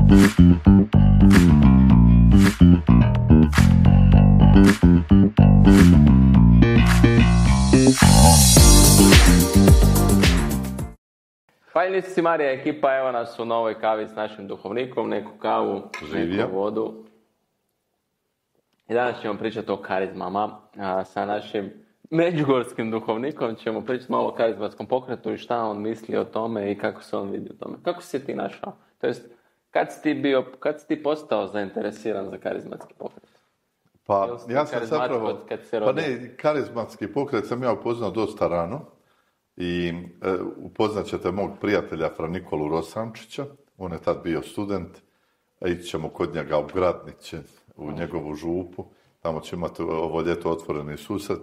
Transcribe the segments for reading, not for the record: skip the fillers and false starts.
Fajnici Marija ekipa, evo nas u novoj kavi s našim duhovnikom, neku kavu, neku vodu. I danas ćemo pričati o karizmama. Sa našim međugorskim duhovnikom ćemo pričati malo o karizmatskom pokretu i šta on misli o tome i kako se on vidi o tome. Kako si ti našao? To jest, kad si ti postao zainteresiran za karizmatski pokret? Pa ja sam zapravo, karizmatski pokret sam ja upoznao dosta rano. I upoznat ćete mog prijatelja Fra Nikolu Rosančića, on je tad bio student, a ići ćemo kod njega u Gradniće, u njegovu župu, tamo će imati ovo ljeto otvoreni susret.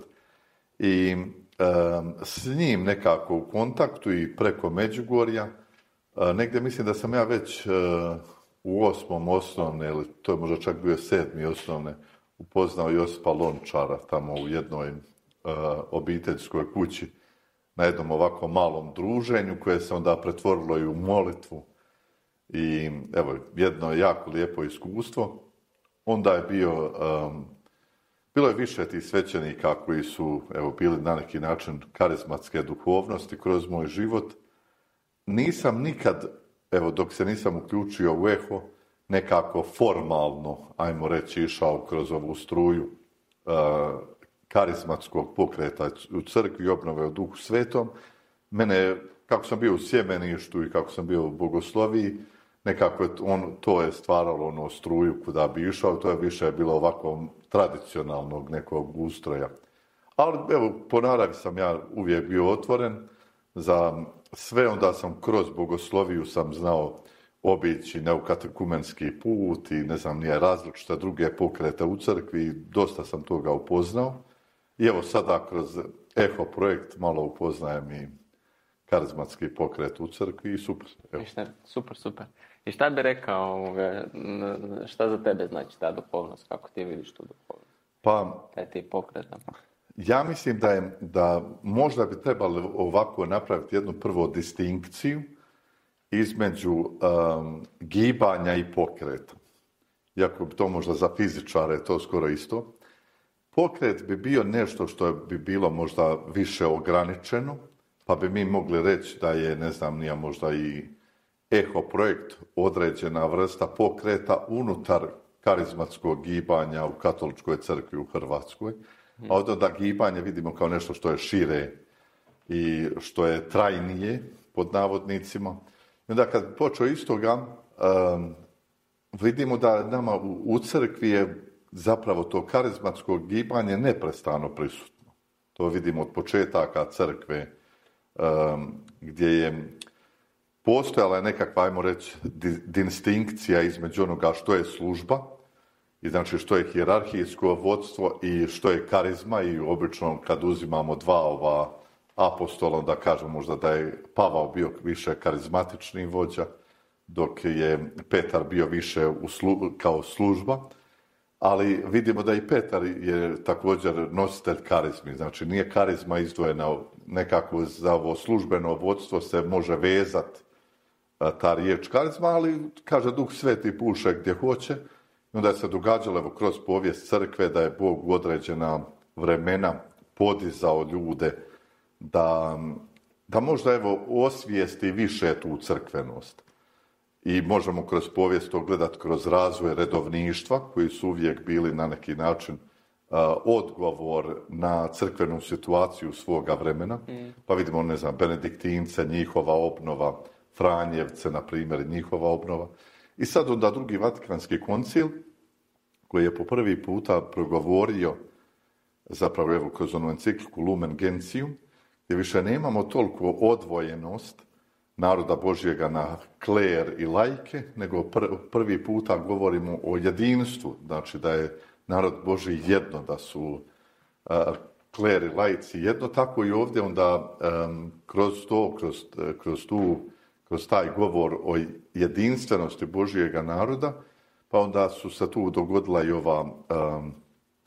I s njim nekako u kontaktu i preko Međugorja, negdje mislim da sam ja već u 8. osnovne, ili to je možda čak bio 7. osnovne, upoznao Josipa Lončara tamo u jednoj obiteljskoj kući, na jednom ovako malom druženju koje se onda pretvorilo i u molitvu. I evo, jedno jako lijepo iskustvo. Onda je bilo je više tih svećenika koji su bili na neki način karizmatske duhovnosti kroz moj život. Nisam nikad, dok se nisam uključio u Eho, nekako formalno, ajmo reći, išao kroz ovu struju karizmatskog pokreta u crkvi, obnove u Duhu Svetom. Mene, kako sam bio u sjemeništu i kako sam bio u bogosloviji, nekako to je stvaralo struju kuda bi išao, to je više bilo ovako tradicionalnog nekog ustroja. Ali po naravi sam ja uvijek bio otvoren za sve, onda sam kroz bogosloviju sam znao obići neukatekumenski put i ne znam nije različite druge pokrete u crkvi, dosta sam toga upoznao. I evo sada kroz Eho projekt malo upoznajem i karizmatski pokret u crkvi i super. Super. I šta bi rekao, šta za tebe znači ta duhovnost, kako ti vidiš tu duhovnost? Pa, taj ti pokret. Ja mislim da možda bi trebalo ovako napraviti jednu prvo distinkciju između gibanja i pokreta. Iako bi to možda za fizičare to skoro isto. Pokret bi bio nešto što bi bilo možda više ograničeno, pa bi mi mogli reći da je, ne znam, nije možda i Eho projekt određena vrsta pokreta unutar karizmatskog gibanja u katoličkoj crkvi u Hrvatskoj. A onda gibanje vidimo kao nešto što je šire i što je trajnije, pod navodnicima. I onda kad počeo iz toga, vidimo da nama u crkvi je zapravo to karizmatsko gibanje neprestano prisutno. To vidimo od početaka crkve, gdje je postojala nekakva, ajmo reći, distinkcija između onoga što je služba, i znači što je hijerarhijsko vodstvo i što je karizma, i obično kad uzimamo dva ova apostola, da kažemo možda da je Pavao bio više karizmatični vođa, dok je Petar bio više kao služba. Ali vidimo da i Petar je također nositelj karizmi. Znači nije karizma izdvojena nekako za ovo službeno vodstvo, se može vezati ta riječ karizma, ali kaže Duh Sveti puše gdje hoće. I onda se događalo kroz povijest crkve da je Bog u određena vremena podizao ljude da možda osvijesti više tu crkvenost. I možemo kroz povijest to gledati kroz razvoj redovništva, koji su uvijek bili na neki način odgovor na crkvenu situaciju svoga vremena. Pa vidimo, ne znam, Benediktince, njihova obnova, Franjevce, na primjer, njihova obnova. I sad onda drugi Vatikanski koncil, koji je po prvi puta progovorio, zapravo kroz onu encikliku Lumen Gentium, gdje više nemamo toliko odvojenost naroda Božjega na kler i lajke, nego prvi puta govorimo o jedinstvu, znači da je narod Božji jedno, da su kler i lajci jedno, tako i ovdje onda kroz taj govor o jedinstvenosti Božjega naroda, pa onda su se tu dogodila i ova,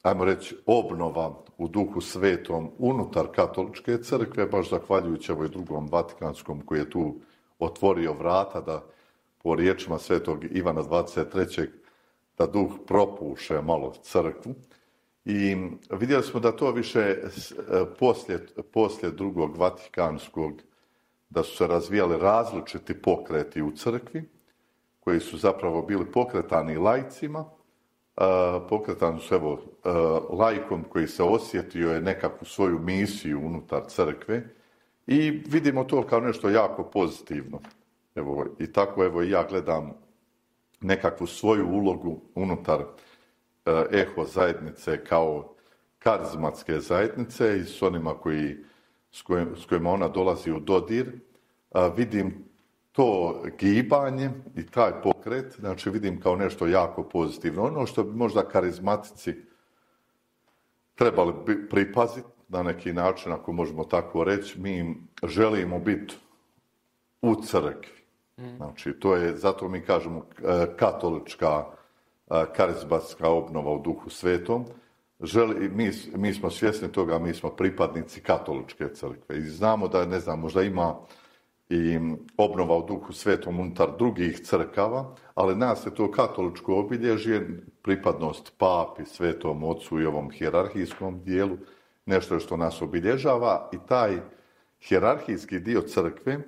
ajmo reći, obnova u Duhu Svetom unutar katoličke crkve, baš zahvaljujući ovoj drugom Vatikanskom koji je tu otvorio vrata da po riječima svetog Ivana 23. da duh propuše malo crkvu. I vidjeli smo da to više poslije drugog Vatikanskog, da su se razvijali različiti pokreti u crkvi, koji su zapravo bili pokretani laicima, pokretani su laikom koji se osjetio je nekakvu svoju misiju unutar crkve i vidimo to kao nešto jako pozitivno. I tako i ja gledam nekakvu svoju ulogu unutar eho zajednice kao karizmatske zajednice i s onima s kojima ona dolazi u dodir. Vidim to gibanje i taj pokret, znači vidim kao nešto jako pozitivno. Ono što bi možda karizmatici trebali pripaziti na neki način, ako možemo tako reći, mi želimo biti u crkvi. Znači, to je, zato mi kažemo katolička karizmatska obnova u Duhu Svetom. Mi smo svjesni toga, mi smo pripadnici katoličke crkve i znamo da, ne znam, možda ima i obnova u Duhu Svetom unutar drugih crkava, ali nas je to katoličko obilježje, pripadnost papi, svetom ocu i ovom hijerarhijskom dijelu, nešto što nas obilježava i taj hijerarhijski dio crkve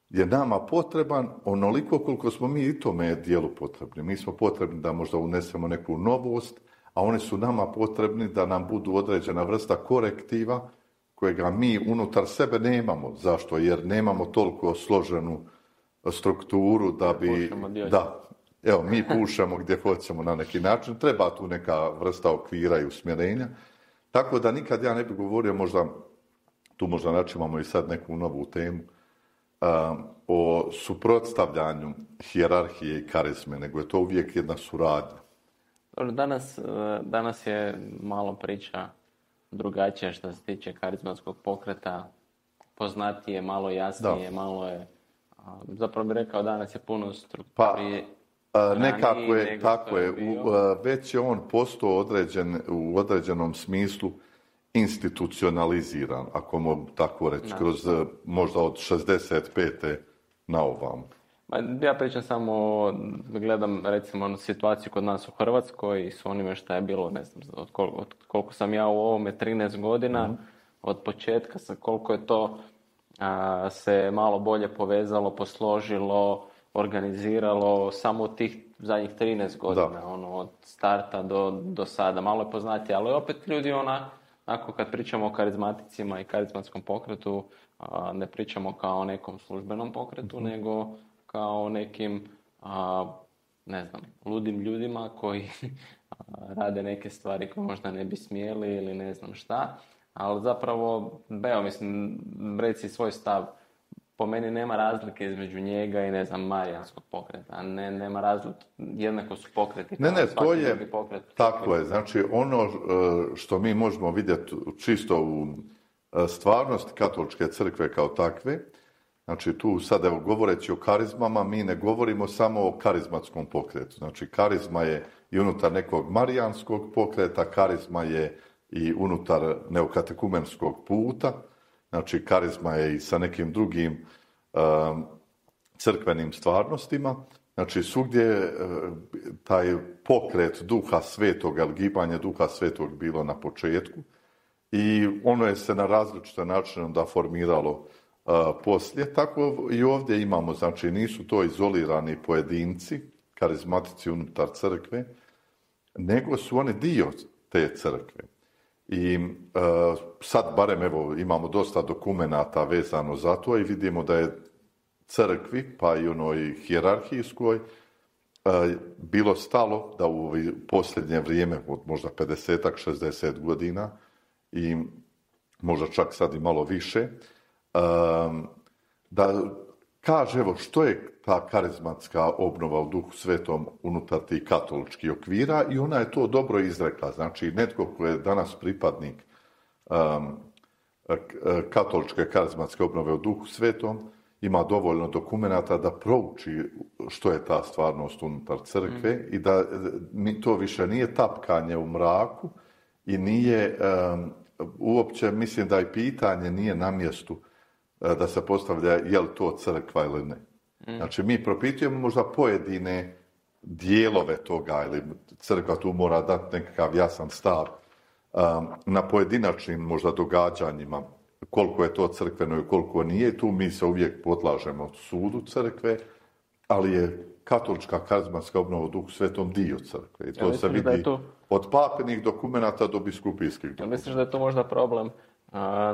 je nama potreban onoliko koliko smo mi i tome dijelu potrebni. Mi smo potrebni da možda unesemo neku novost, a oni su nama potrebni da nam budu određena vrsta korektiva kojega mi unutar sebe nemamo. Zašto? Jer nemamo toliko složenu strukturu da bi... mi pušamo gdje hoćemo na neki način. Treba tu neka vrsta okvira i usmjerenja. Tako da nikad ja ne bih govorio, možda načimamo i sad neku novu temu, o suprotstavljanju hijerarhije i karizme, nego je to uvijek jedna suradnja. Danas je malo priča drugačija što se tiče karizmatskog pokreta, poznatije, malo jasnije, malo je, zapravo bih rekao danas je puno strukturije. Nekako je, tako je, već je on postao u određenom smislu institucionaliziran, ako mogu tako reći, kroz možda od 65. na ovam. Ja pričam samo, gledam recimo situaciju kod nas u Hrvatskoj i s onime što je bilo, ne znam, od koliko sam ja u ovome 13 godina, od početka, koliko je to se malo bolje povezalo, posložilo, organiziralo, samo u tih zadnjih 13 godina, od starta do sada, malo je poznatije, ali opet ljudi onako kad pričamo o karizmaticima i karizmatskom pokretu, ne pričamo kao o nekom službenom pokretu, nego kao o nekim, ludim ljudima koji rade neke stvari koje možda ne bi smjeli ili ne znam šta, ali zapravo, reci svoj stav. Po meni nema razlike između njega i, marijanskog pokreta. Nema razlike, jednako su pokreti. To je, tako je. Znači, ono što mi možemo vidjeti čisto u stvarnosti katoličke crkve kao takve, znači tu sad, govoreći o karizmama, mi ne govorimo samo o karizmatskom pokretu. Znači, karizma je i unutar nekog marijanskog pokreta, karizma je i unutar neokatekumenskog puta, znači karizma je i sa nekim drugim crkvenim stvarnostima. Znači, svugdje taj pokret Duha Svetoga, gibanje Duha Svetog bilo na početku i ono je se na različite načine onda formiralo poslije. Tako i ovdje imamo, znači nisu to izolirani pojedinci, karizmatici unutar crkve, nego su oni dio te crkve. I sad barem imamo dosta dokumenata vezano za to i vidimo da je crkvi, pa i onoj hijerarhijskoj, bilo stalo da u posljednje vrijeme, od možda 50-ak, 60 godina i možda čak sad i malo više, da kaže što je ta karizmatska obnova u Duhu Svetom unutar tih katoličkih okvira i ona je to dobro izrekla. Znači, netko ko je danas pripadnik katoličke karizmatske obnove u Duhu Svetom ima dovoljno dokumenata da prouči što je ta stvarnost unutar crkve i da to više nije tapkanje u mraku i nije uopće, mislim da i pitanje nije na mjestu da se postavlja je li to crkva ili ne. Znači, mi propitujemo možda pojedine dijelove toga, ili crkva tu mora dati nekakav jasan stav na pojedinačnim možda događanjima, koliko je to crkveno i koliko nije. Tu mi se uvijek podlažemo sudu crkve, ali je katolička karizmatska obnova u Duhu Svetom dio crkve. I to se vidi od papinih dokumenata do biskupijskih dokumenata. Misliš da je to možda problem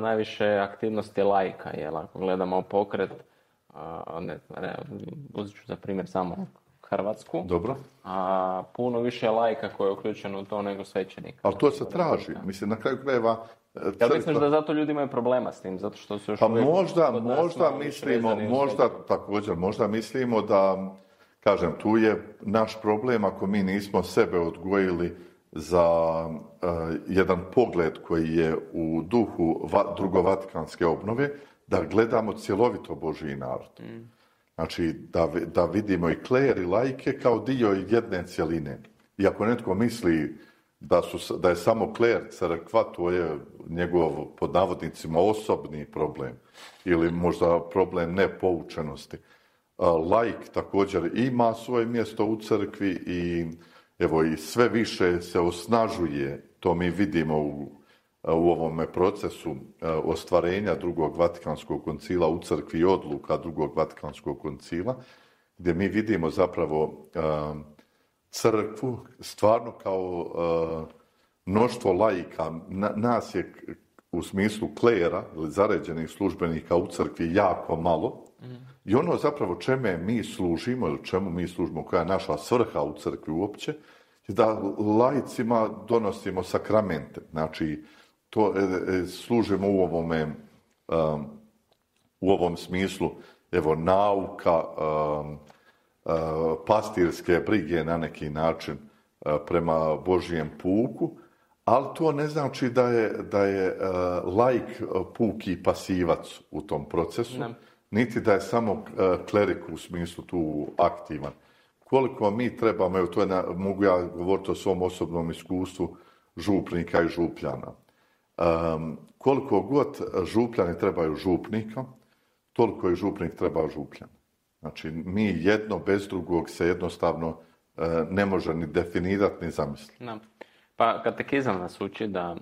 najviše aktivnosti laika, jel? Ako gledamo pokret, uzet ću za primjer samo Hrvatsku. Dobro. A puno više laika koji je uključeno u to nego svećenika. Ali to se traži. Mislim, na kraju krajeva... Ja misliš da zato ljudi imaju problema s tim? Zato što su još uvijek... možda mislimo da, kažem, tu je naš problem ako mi nismo sebe odgojili za jedan pogled koji je u duhu drugovatikanske obnove, da gledamo cjelovito Božji narod. Znači, da vidimo i kler i laike kao dio jedne cjeline. I ako netko misli da je samo kler crkva, to je njegov, pod navodnicima, osobni problem. Ili možda problem nepoučenosti. Laik također ima svoje mjesto u crkvi i evo i sve više se osnažuje, to mi vidimo u ovome procesu ostvarenja drugog Vatikanskog koncila u crkvi i odluka drugog Vatikanskog koncila, gdje mi vidimo zapravo crkvu stvarno kao mnoštvo laika. Nas je u smislu klera ili zaređenih službenika u crkvi jako malo. I ono zapravo čemu mi služimo, koja je naša svrha u crkvi uopće, je da laicima donosimo sakramente. Znači, to služimo u ovom smislu, evo, nauka, pastirske brige na neki način prema Božijem puku, ali to ne znači da je laik puki pasivac u tom procesu, niti da je samo klerik u smislu tu aktivan. Koliko mi trebamo, evo, mogu ja govoriti o svom osobnom iskustvu župnika i župljana. Koliko god župljani trebaju župnika, toliko i župnik treba župljana. Znači, mi jedno bez drugog se jednostavno ne može ni definirati, ni zamisliti. No. Pa katekizam nas uči da,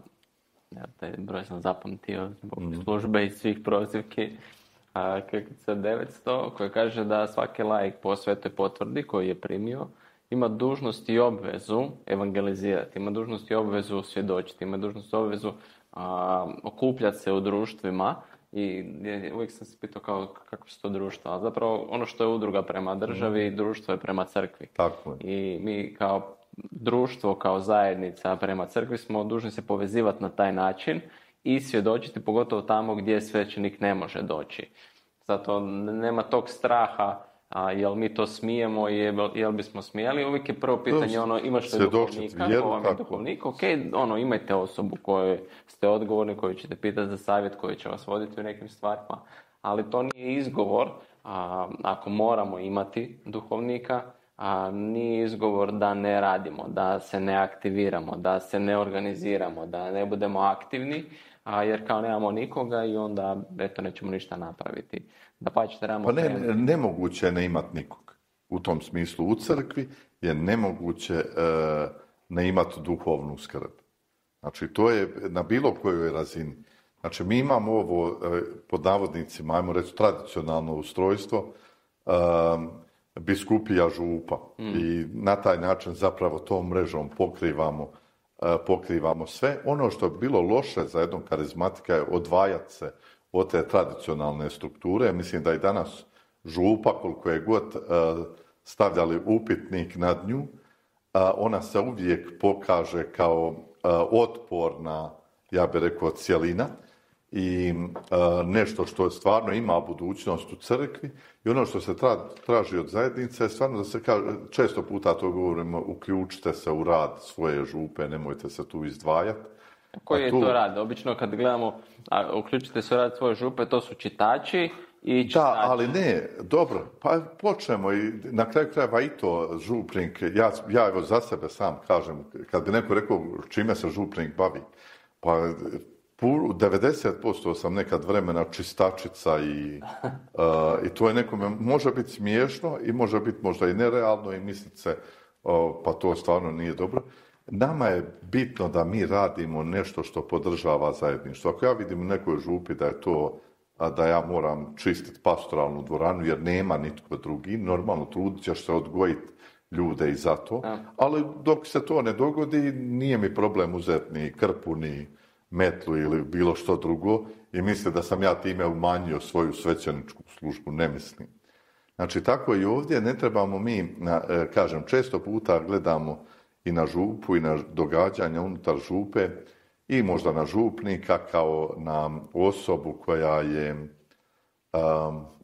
ja taj broj sam zapamtio zbog službe i svih prozivki, Krkica 900, koji kaže da svaki laik po svetoj potvrdi koji je primio ima dužnost i obvezu evangelizirati, ima dužnost i obvezu svjedočiti, ima dužnost i obvezu okupljati se u društvima. I uvijek sam se pitao kako su to društva, ali zapravo ono što je udruga prema državi, društvo je prema crkvi. Tako je. I mi kao društvo, kao zajednica prema crkvi smo dužni se povezivati na taj način i svjedočiti, pogotovo tamo gdje svećenik ne može doći. Zato nema tog straha, jel mi to smijemo, jel bismo smijeli. Uvijek je prvo pitanje, imaš li duhovnika, duhovnik, ok, imajte osobu kojoj ste odgovorni, koju ćete pitati za savjet, koji će vas voditi u nekim stvarima. Ali to nije izgovor, ako moramo imati duhovnika, nije izgovor da ne radimo, da se ne aktiviramo, da se ne organiziramo, da ne budemo aktivni, jer kao nemamo nikoga i onda nećemo ništa napraviti. Nemoguće je ne imati nikog. U tom smislu u crkvi je nemoguće ne imati duhovnu skrb. Znači, to je na bilo kojoj razini. Znači, mi imamo ovo, pod navodnicima, ajmo reći, tradicionalno ustrojstvo biskupija župa. I na taj način zapravo tom mrežom pokrivamo sve. Ono što je bilo loše za jednog karizmatika je odvajati se od te tradicionalne strukture. Mislim da i danas župa, koliko je god stavljali upitnik nad nju, ona se uvijek pokaže kao otporna, ja bih rekao, cjelina i nešto što stvarno ima budućnost u crkvi. I ono što se traži od zajednice je stvarno da se kaže, često puta to govorimo, uključite se u rad svoje župe, nemojte se tu izdvajati. Koji je to rad? Obično kad gledamo, uključite se u rad svoje župe, to su čitači i čitači. Da, ali ne, dobro, pa počnemo i na kraju krajeva i to župnik, ja evo za sebe sam kažem, kad bi neko rekao čime se župnik bavi, pa 90% sam nekad vremena čistačica i to je nekome može biti smiješno i može biti možda i nerealno i misliti se pa to stvarno nije dobro. Nama je bitno da mi radimo nešto što podržava zajedništvo. Ako ja vidim u nekoj župi da je to da ja moram čistiti pastoralnu dvoranu jer nema nitko drugi, normalno trudit ćeš se odgojiti ljude i za to, ali dok se to ne dogodi nije mi problem uzeti ni krpu, ni metlu ili bilo što drugo i misli da sam ja time umanjio svoju svećeničku službu, ne mislim. Znači tako i ovdje ne trebamo mi, kažem, često puta gledamo i na župu i na događanja unutar župe i možda na župnika kao na osobu koja je,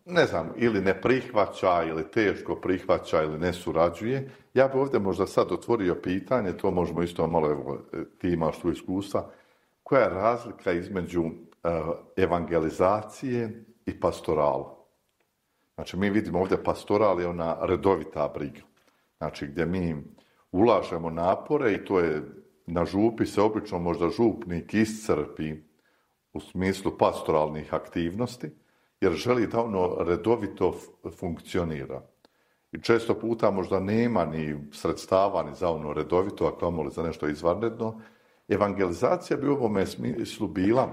ne znam, ili ne prihvaća ili teško prihvaća ili ne surađuje. Ja bi ovdje možda sad otvorio pitanje, to možemo isto malo, evo, ti imaš tu iskustva, koja je razlika između evangelizacije i pastorala? Znači, mi vidimo ovdje pastoral je ona redovita briga. Znači, gdje mi ulažemo napore i to je, na župi se obično možda župnik iscrpi u smislu pastoralnih aktivnosti, jer želi da ono redovito funkcionira. I često puta možda nema ni sredstava ni za ono redovito, a kamoli za nešto izvanredno. Evangelizacija bi u ovome smislu bila,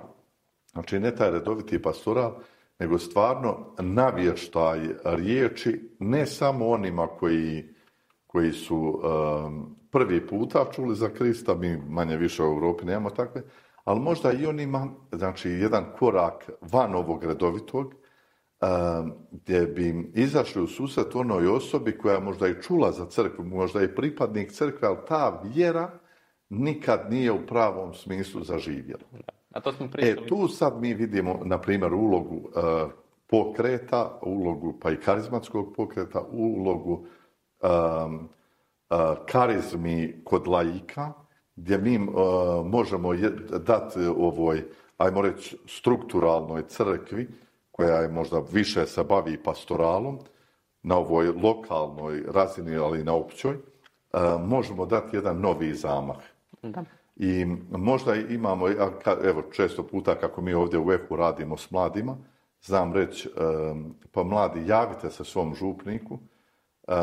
znači ne taj redoviti pastoral, nego stvarno navještaj riječi, ne samo onima koji su prvi puta čuli za Krista, mi manje više u Europi nemamo takve, ali možda i onima, znači jedan korak van ovog redovitog, gdje bi im izašli u susret onoj osobi koja možda i čula za crkvu, možda i pripadnik crkve, ali ta vjera nikad nije u pravom smislu zaživjela. A to smo pričali. Tu sad mi vidimo, na primjer, ulogu pokreta, ulogu pa i karizmatskog pokreta, ulogu karizmi kod laika, gdje mi možemo dati ovoj, ajmo reći, strukturalnoj crkvi, koja je možda više se bavi pastoralom, na ovoj lokalnoj razini, ali i na općoj, možemo dati jedan novi zamah. Da. I možda imamo, evo često puta kako mi ovdje u EFU radimo s mladima, znam reći, pa mladi javite se svom župniku,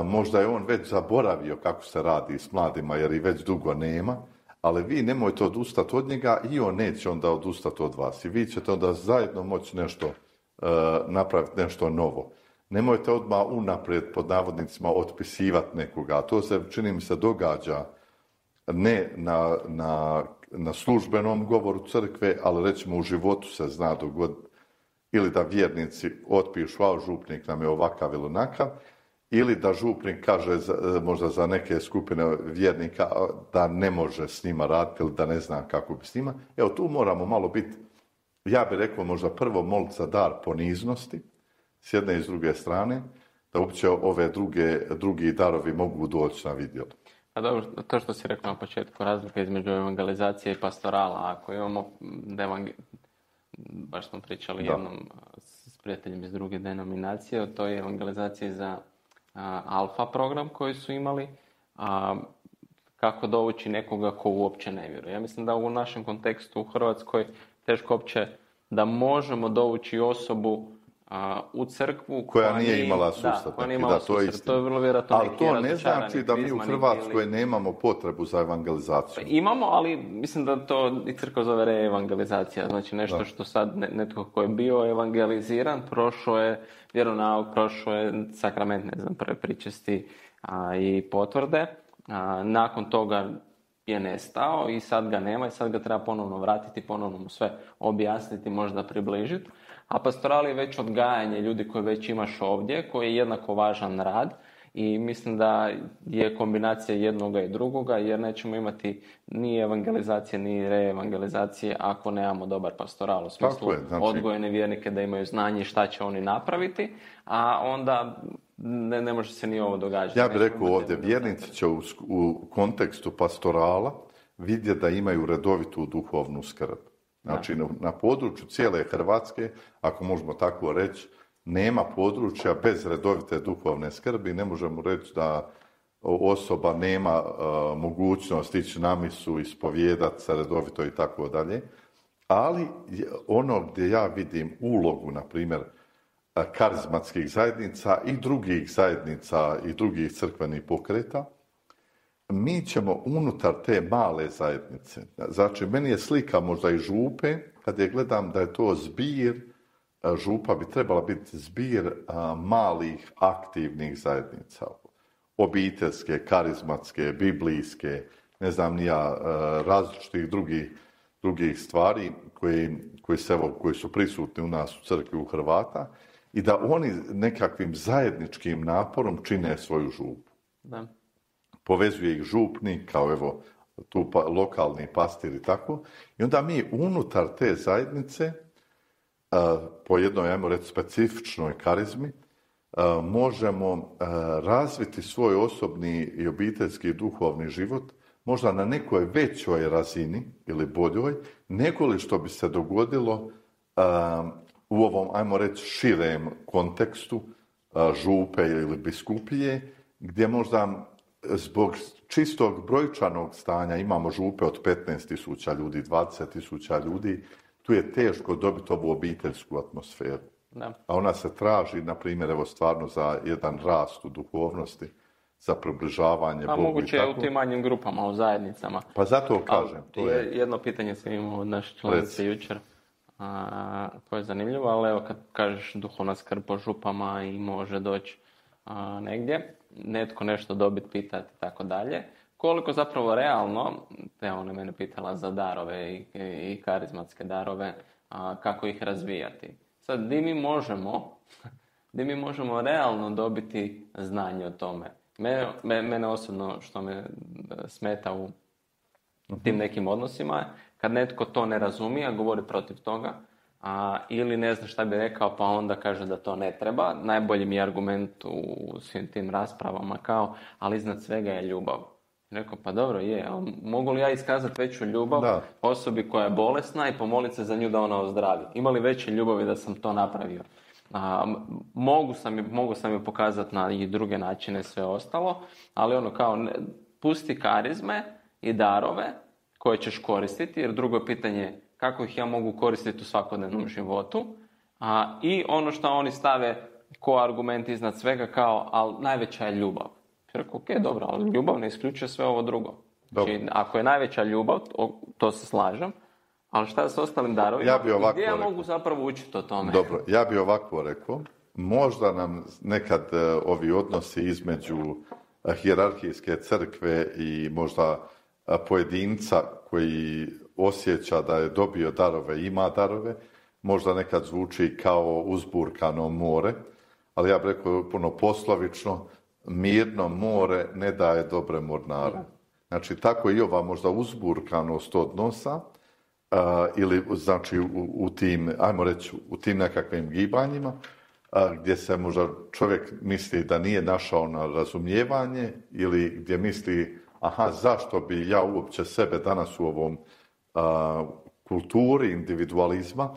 možda je on već zaboravio kako se radi s mladima jer i već dugo nema, ali vi nemojte odustati od njega i on neće onda odustati od vas. I vi ćete onda zajedno moći nešto napraviti, nešto novo. Nemojte odmah unaprijed pod navodnicima otpisivati nekoga. A to se, čini mi se, događa ne na službenom govoru crkve, ali recimo u životu se zna dogoditi ili da vjernici otpišu, a župnik nam je ovakav ili onakav, ili da župnik kaže možda za neke skupine vjernika da ne može s njima raditi ili da ne zna kako bi s njima. Evo tu moramo malo biti, ja bih rekao možda prvo moliti za dar poniznosti s jedne i s druge strane, da uopće ove drugi darovi mogu doći na vidjelo. A dobro, to što si rekao na početku, razlika između evangelizacije i pastorala, ako imamo, baš smo pričali jednom s prijateljem iz druge denominacije, o toj evangelizaciji za alfa program koji su imali, kako dovući nekoga ko uopće ne vjeruje. Ja mislim da u našem kontekstu u Hrvatskoj teško uopće da možemo dovući osobu u crkvu koja nije imala sustav. To je vrlo vjerojatno. Ali to ne znači da mi u Hrvatskoj nemamo potrebu za evangelizaciju. Imamo, ali mislim da to i crkva zove reevangelizacija. Znači nešto što sad netko ko je bio evangeliziran, prošao je vjeronauk, prošao je sakrament, ne znam, prve pričesti i potvrde. Nakon toga je nestao i sad ga nema i sad ga treba ponovno vratiti, ponovno mu sve objasniti, možda približiti. A pastoral je već odgajanje ljudi koje već imaš ovdje, koji je jednako važan rad i mislim da je kombinacija jednoga i drugoga, jer nećemo imati ni evangelizacije ni reevangelizacije ako nemamo dobar pastoral u smislu odgojene vjernike da imaju znanje šta će oni napraviti, a onda ne može se ni ovo događati. Ja bih rekao ovdje, vjernici će u kontekstu pastorala vidjeti da imaju redovitu duhovnu skrb. Znači, na području cijele Hrvatske, ako možemo tako reći, nema područja bez redovite duhovne skrbi. Ne možemo reći da osoba nema mogućnost ići na misu, ispovijedati se redovito i tako dalje. Ali ono gdje ja vidim ulogu, na primjer, karizmatskih zajednica i drugih zajednica i drugih crkvenih pokreta, mi ćemo unutar te male zajednice, znači meni je slika možda i župe, kad je gledam da je to zbir, župa bi trebala biti zbir malih aktivnih zajednica, obiteljske, karizmatske, biblijske, ne znam ni ja, različitih drugih stvari koji su prisutni u nas u crkvi u Hrvata i da oni nekakvim zajedničkim naporom čine svoju župu. Da. Povezuje ih župnik, kao evo tu lokalni pastir i tako. I onda mi unutar te zajednice, po jednoj, ajmo reći, specifičnoj karizmi, možemo razviti svoj osobni i obiteljski i duhovni život možda na nekoj većoj razini ili boljoj, nego li što bi se dogodilo u ovom, ajmo reći, širem kontekstu župe ili biskupije, gdje možda zbog čistog brojčanog stanja imamo župe od 15.000 ljudi, 20.000 ljudi, tu je teško dobiti ovu obiteljsku atmosferu. Da. A ona se traži, na primjer, evo stvarno za jedan rast u duhovnosti, za približavanje Bogu i tako. A moguće je u tim manjim grupama, u zajednicama. Pa zato kažem. To je jedno pitanje sam imao od naše članice jučer, koje je zanimljivo, ali evo kad kažeš duhovna skrb po župama i može doći negdje, netko nešto dobiti, pitati i tako dalje. Koliko zapravo realno, ona mene pitala za darove i karizmatske darove, kako ih razvijati. Sad, di mi možemo realno dobiti znanje o tome? Mene osobno što me smeta u tim nekim odnosima, kad netko to ne razumije, a govori protiv toga, ili ne zna šta bi rekao, pa onda kaže da to ne treba. Najbolji mi je argument u svim tim raspravama ali iznad svega je ljubav. Rekao, pa dobro je, ali mogu li ja iskazati veću ljubav osobi koja je bolesna i pomoliti se za nju da ona ozdravi? Ima li veće ljubavi da sam to napravio? Mogu sam je pokazati na i druge načine, sve ostalo, ali pusti karizme i darove koje ćeš koristiti, jer drugo je pitanje kako ih ja mogu koristiti u svakodnevnom životu, i ono što oni stave ko argument iznad svega ali najveća je ljubav. Rekao, ok, dobro, ali ljubav ne isključuje sve ovo drugo. Znači, ako je najveća ljubav, to se slažem, ali šta s ostalim darovima, gdje ja mogu zapravo učiti o tome? Dobro, ja bi ovako rekao, možda nam nekad ovi odnosi između hijerarhijske crkve i možda pojedinca koji osjeća da je dobio darove, ima darove, možda nekad zvuči kao uzburkano more, ali ja bih rekao puno poslovično, mirno more ne daje dobre mornare. Znači, tako i ova možda uzburkanost odnosa, ili znači u tim, ajmo reći, u tim nekakvim gibanjima, gdje se možda čovjek misli da nije našao na razumijevanje ili gdje misli, zašto bi ja uopće sebe danas u ovom kulturi individualizma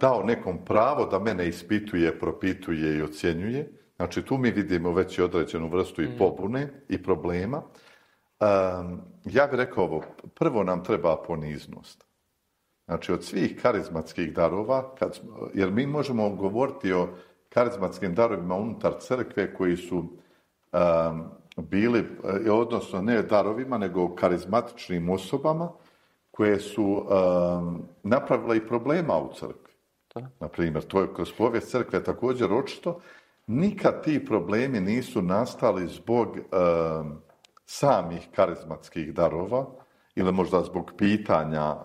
dao nekom pravo da mene ispituje, propituje i ocjenjuje. Znači, tu mi vidimo već i određenu vrstu i pobune i problema. Ja bih rekao ovo, prvo nam treba poniznost. Znači, od svih karizmatskih darova, jer mi možemo govoriti o karizmatskim darovima unutar crkve koji su bili, odnosno ne darovima, nego karizmatičnim osobama koje su napravile i problema u crkvi. Na primjer, to je kroz povijest crkve također očito. Nikad ti problemi nisu nastali zbog samih karizmatskih darova ili možda zbog pitanja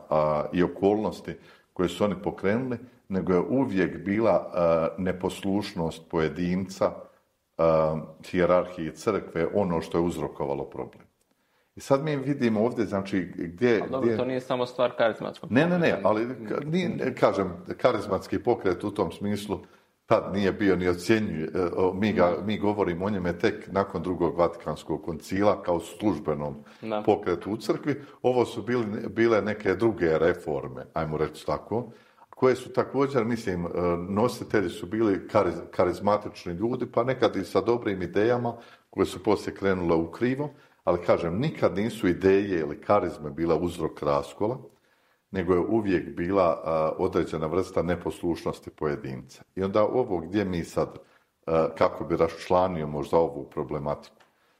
i okolnosti koje su oni pokrenuli, nego je uvijek bila neposlušnost pojedinca hijerarhiji crkve ono što je uzrokovalo problem. I sad mi vidimo ovdje, znači, gdje... Ali dobro, to nije samo stvar karizmatskog pokreta. Ne, ali kažem, karizmatski pokret u tom smislu tad nije bio ni ocjenjuje. Mi govorimo o njeme tek nakon drugog Vatikanskog koncila kao službenom pokretu u crkvi. Ovo su bile neke druge reforme, ajmo reći tako, koje su također, mislim, nositelji su bili karizmatični ljudi, pa nekad i sa dobrim idejama koje su poslije krenule u krivo, ali kažem, nikad nisu ideje ili karizme bila uzrok raskola, nego je uvijek bila određena vrsta neposlušnosti pojedinca. I onda ovo gdje mi sad, kako bi raščlanio možda ovu problematiku.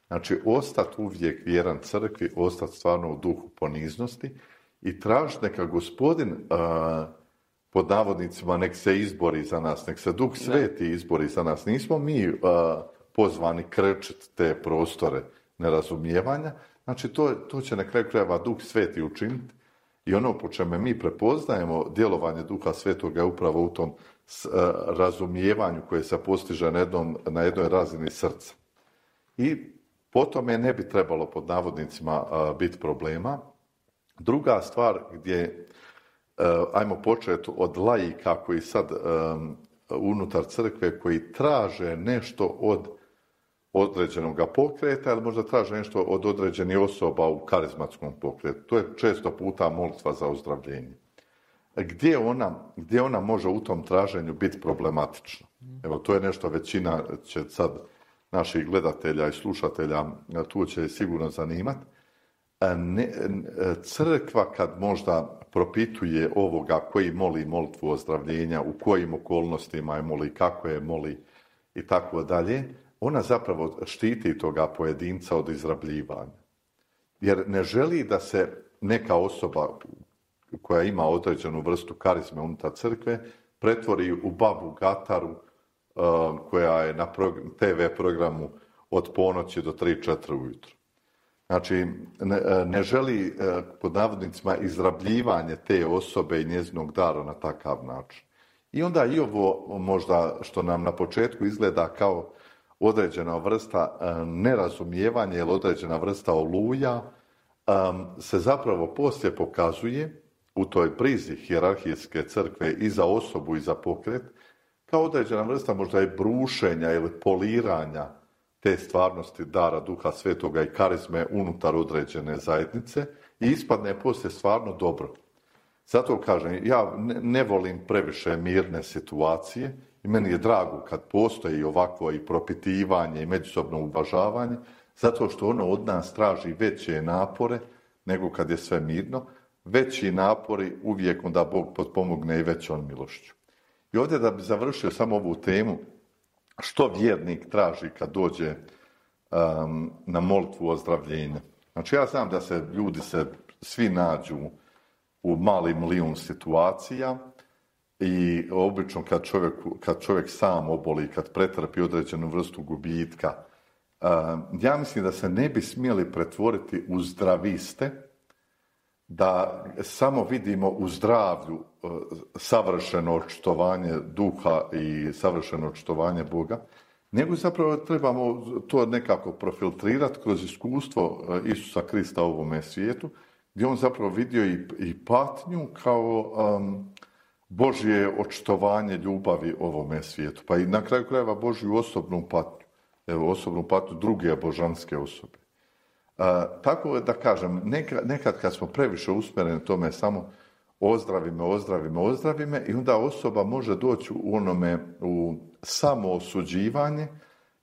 Znači, ostati uvijek vjeran crkvi, ostati stvarno u duhu poniznosti i tražiti neka Gospodin, pod navodnicima, nek se izbori za nas, nek se Duh Sveti izbori za nas. Nismo mi pozvani krčiti te prostore nerazumijevanja. Znači, to će na kraju krajeva Duh Sveti učiniti. I ono po čemu mi prepoznajemo djelovanje Duha Svetoga je upravo u tom razumijevanju koje se postiže na jednoj razini srca. I po tome ne bi trebalo pod navodnicima biti problema. Druga stvar gdje, ajmo početi od laika koji sad unutar crkve koji traže nešto od određenog pokreta ili možda traže nešto od određenih osoba u karizmatskom pokretu. To je često puta molitva za ozdravljenje. Gdje ona može u tom traženju biti problematična? Evo, to je nešto većina će sad naših gledatelja i slušatelja tu će sigurno zanimati. Crkva kad možda propituje ovoga koji moli molitvu ozdravljenja, u kojim okolnostima je moli, kako je moli i tako dalje, ona zapravo štiti toga pojedinca od izrabljivanja. Jer ne želi da se neka osoba koja ima određenu vrstu karizme unutar crkve pretvori u babu Gataru koja je na TV programu od ponoći do 3-4 ujutro. Znači, ne želi pod navodnicima izrabljivanje te osobe i njezinog dara na takav način. I onda i ovo možda što nam na početku izgleda kao određena vrsta nerazumijevanja ili određena vrsta oluja se zapravo poslije pokazuje u toj brizi hijerarhijske crkve i za osobu i za pokret kao određena vrsta možda i brušenja ili poliranja te stvarnosti dara Duha Svetoga i karizme unutar određene zajednice i ispadne poslije stvarno dobro. Zato kažem, ja ne volim previše mirne situacije i meni je drago kad postoji ovakvo i propitivanje i međusobno uvažavanje, zato što ono od nas traži veće napore nego kad je sve mirno. Veći napori uvijek onda Bog potpomogne i većom milošću. I ovdje da bi završio samo ovu temu, što vjernik traži kad dođe na molitvu ozdravljenja. Znači ja znam da se ljudi svi nađu u mali milijun situacija i obično kad čovjek sam oboli, kad pretrpi određenu vrstu gubitka, ja mislim da se ne bi smjeli pretvoriti u zdraviste, da samo vidimo u zdravlju savršeno očitovanje duha i savršeno očitovanje Boga, nego zapravo trebamo to nekako profiltrirati kroz iskustvo Isusa Krista u ovome svijetu, gdje on zapravo vidio i patnju kao Božje očitovanje ljubavi ovome svijetu. Pa i na kraju krajeva Božju osobnu patnju. Evo, osobnu patnju druge božanske osobe. Tako da kažem, nekad kad smo previše usmjereni tome samo ozdravi me i onda osoba može doći u samo osuđivanje,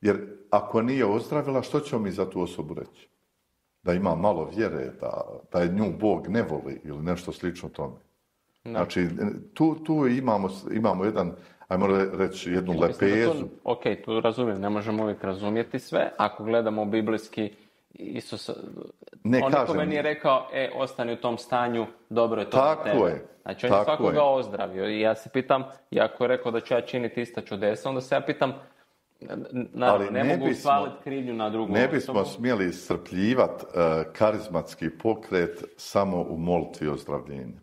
jer ako nije ozdravila, što ćemo mi za tu osobu reći? Da ima malo vjere, da je nju Bog ne voli ili nešto slično tome. No. Znači, tu imamo jedan, ajmo reći, jednu lepezu. Ok, tu razumijem, ne možemo uvijek razumjeti sve. Ako gledamo biblijski, Isus, on nikome nije rekao, ostani u tom stanju, dobro je to za tebe. Je. Znači, on je svakoga ozdravio. I ja se pitam, iako je rekao da ću ja činiti ista čudesa, onda se ja pitam, ne mogu svaliti krivnju na drugu osobu. Ne bismo smjeli iscrpljivati karizmatski pokret samo u molitvi ozdravljenja.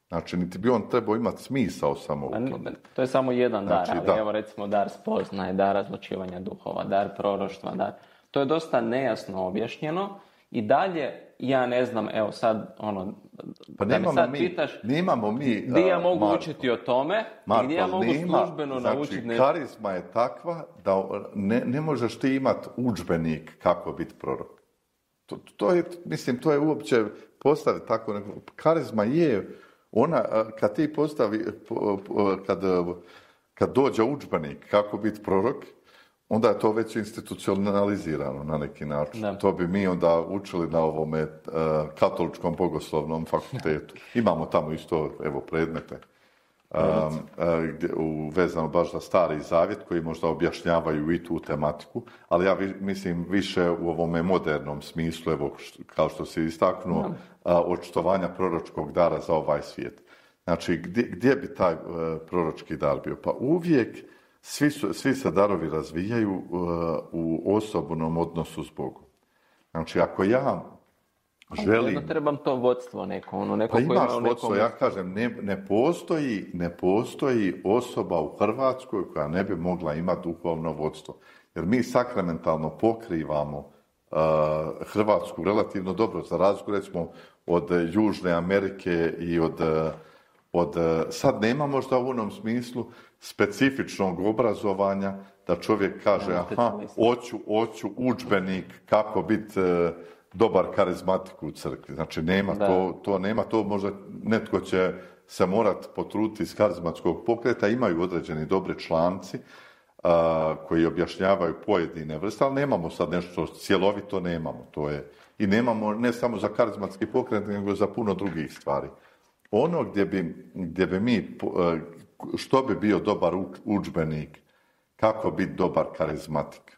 Znači, niti bi on trebao imati smisao samo u tome. To je samo jedan dar, ali evo recimo dar spoznaje, dar razlučivanja duhova, dar proroštva, dar. To je dosta nejasno objašnjeno i dalje ja ne znam, evo sad pa da me sad pitaš gdje ja mogu učiti o tome i gdje ja mogu službeno naučiti. Znači, karizma je takva da ne možeš ti imati udžbenik kako biti prorok. To je uopće postaviti tako neko. Karizma je ona, kad ti postavi, kad dođe udžbenik kako biti prorok, onda je to već institucionalizirano na neki način. Da. To bi mi onda učili na ovome katoličkom bogoslovnom fakultetu. Imamo tamo isto, evo, predmete vezano baš za Stari Zavjet, koji možda objašnjavaju i tu tematiku, ali ja mislim više u ovome modernom smislu, evo, kao što si istaknuo, očitovanja proročkog dara za ovaj svijet. Znači, gdje bi taj proročki dar bio? Pa uvijek svi se darovi razvijaju u osobnom odnosu s Bogom. Znači, ako ja želim... Jedno trebam to vodstvo neko. Pa imaš vodstvo, ja kažem, ne postoji osoba u Hrvatskoj koja ne bi mogla imati duhovno vodstvo. Jer mi sakramentalno pokrivamo Hrvatsku relativno dobro, za razliku recimo od Južne Amerike i od sad nema možda u onom smislu specifičnog obrazovanja da čovjek kaže hoću udžbenik kako biti dobar karizmatik u crkvi. Znači nema to nema, to možda netko će se morati potruditi iz karizmatskog pokreta, imaju određeni dobri članci koji objašnjavaju pojedine vrste, ali nemamo sad nešto cjelovito, nemamo. To je, i nemamo ne samo za karizmatski pokret, nego za puno drugih stvari. Ono gdje bi mi, što bi bio dobar udžbenik, kako biti dobar karizmatik,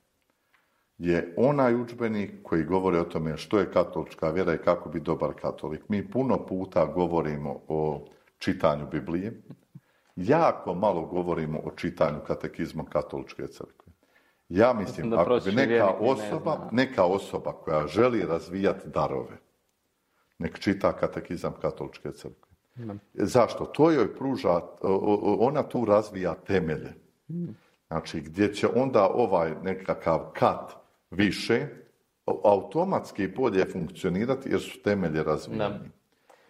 je onaj udžbenik koji govori o tome što je katolička vjera i kako biti dobar katolik. Mi puno puta govorimo o čitanju Biblije, jako malo govorimo o čitanju katekizma katoličke crkve. Ja mislim, ako bi neka osoba koja želi razvijati darove, nek čita katekizam katoličke crkve. Zašto? To joj pruža, ona tu razvija temelje. Znači, gdje će onda ovaj nekakav kat više automatski bolje funkcionirati jer su temelje razvijeni.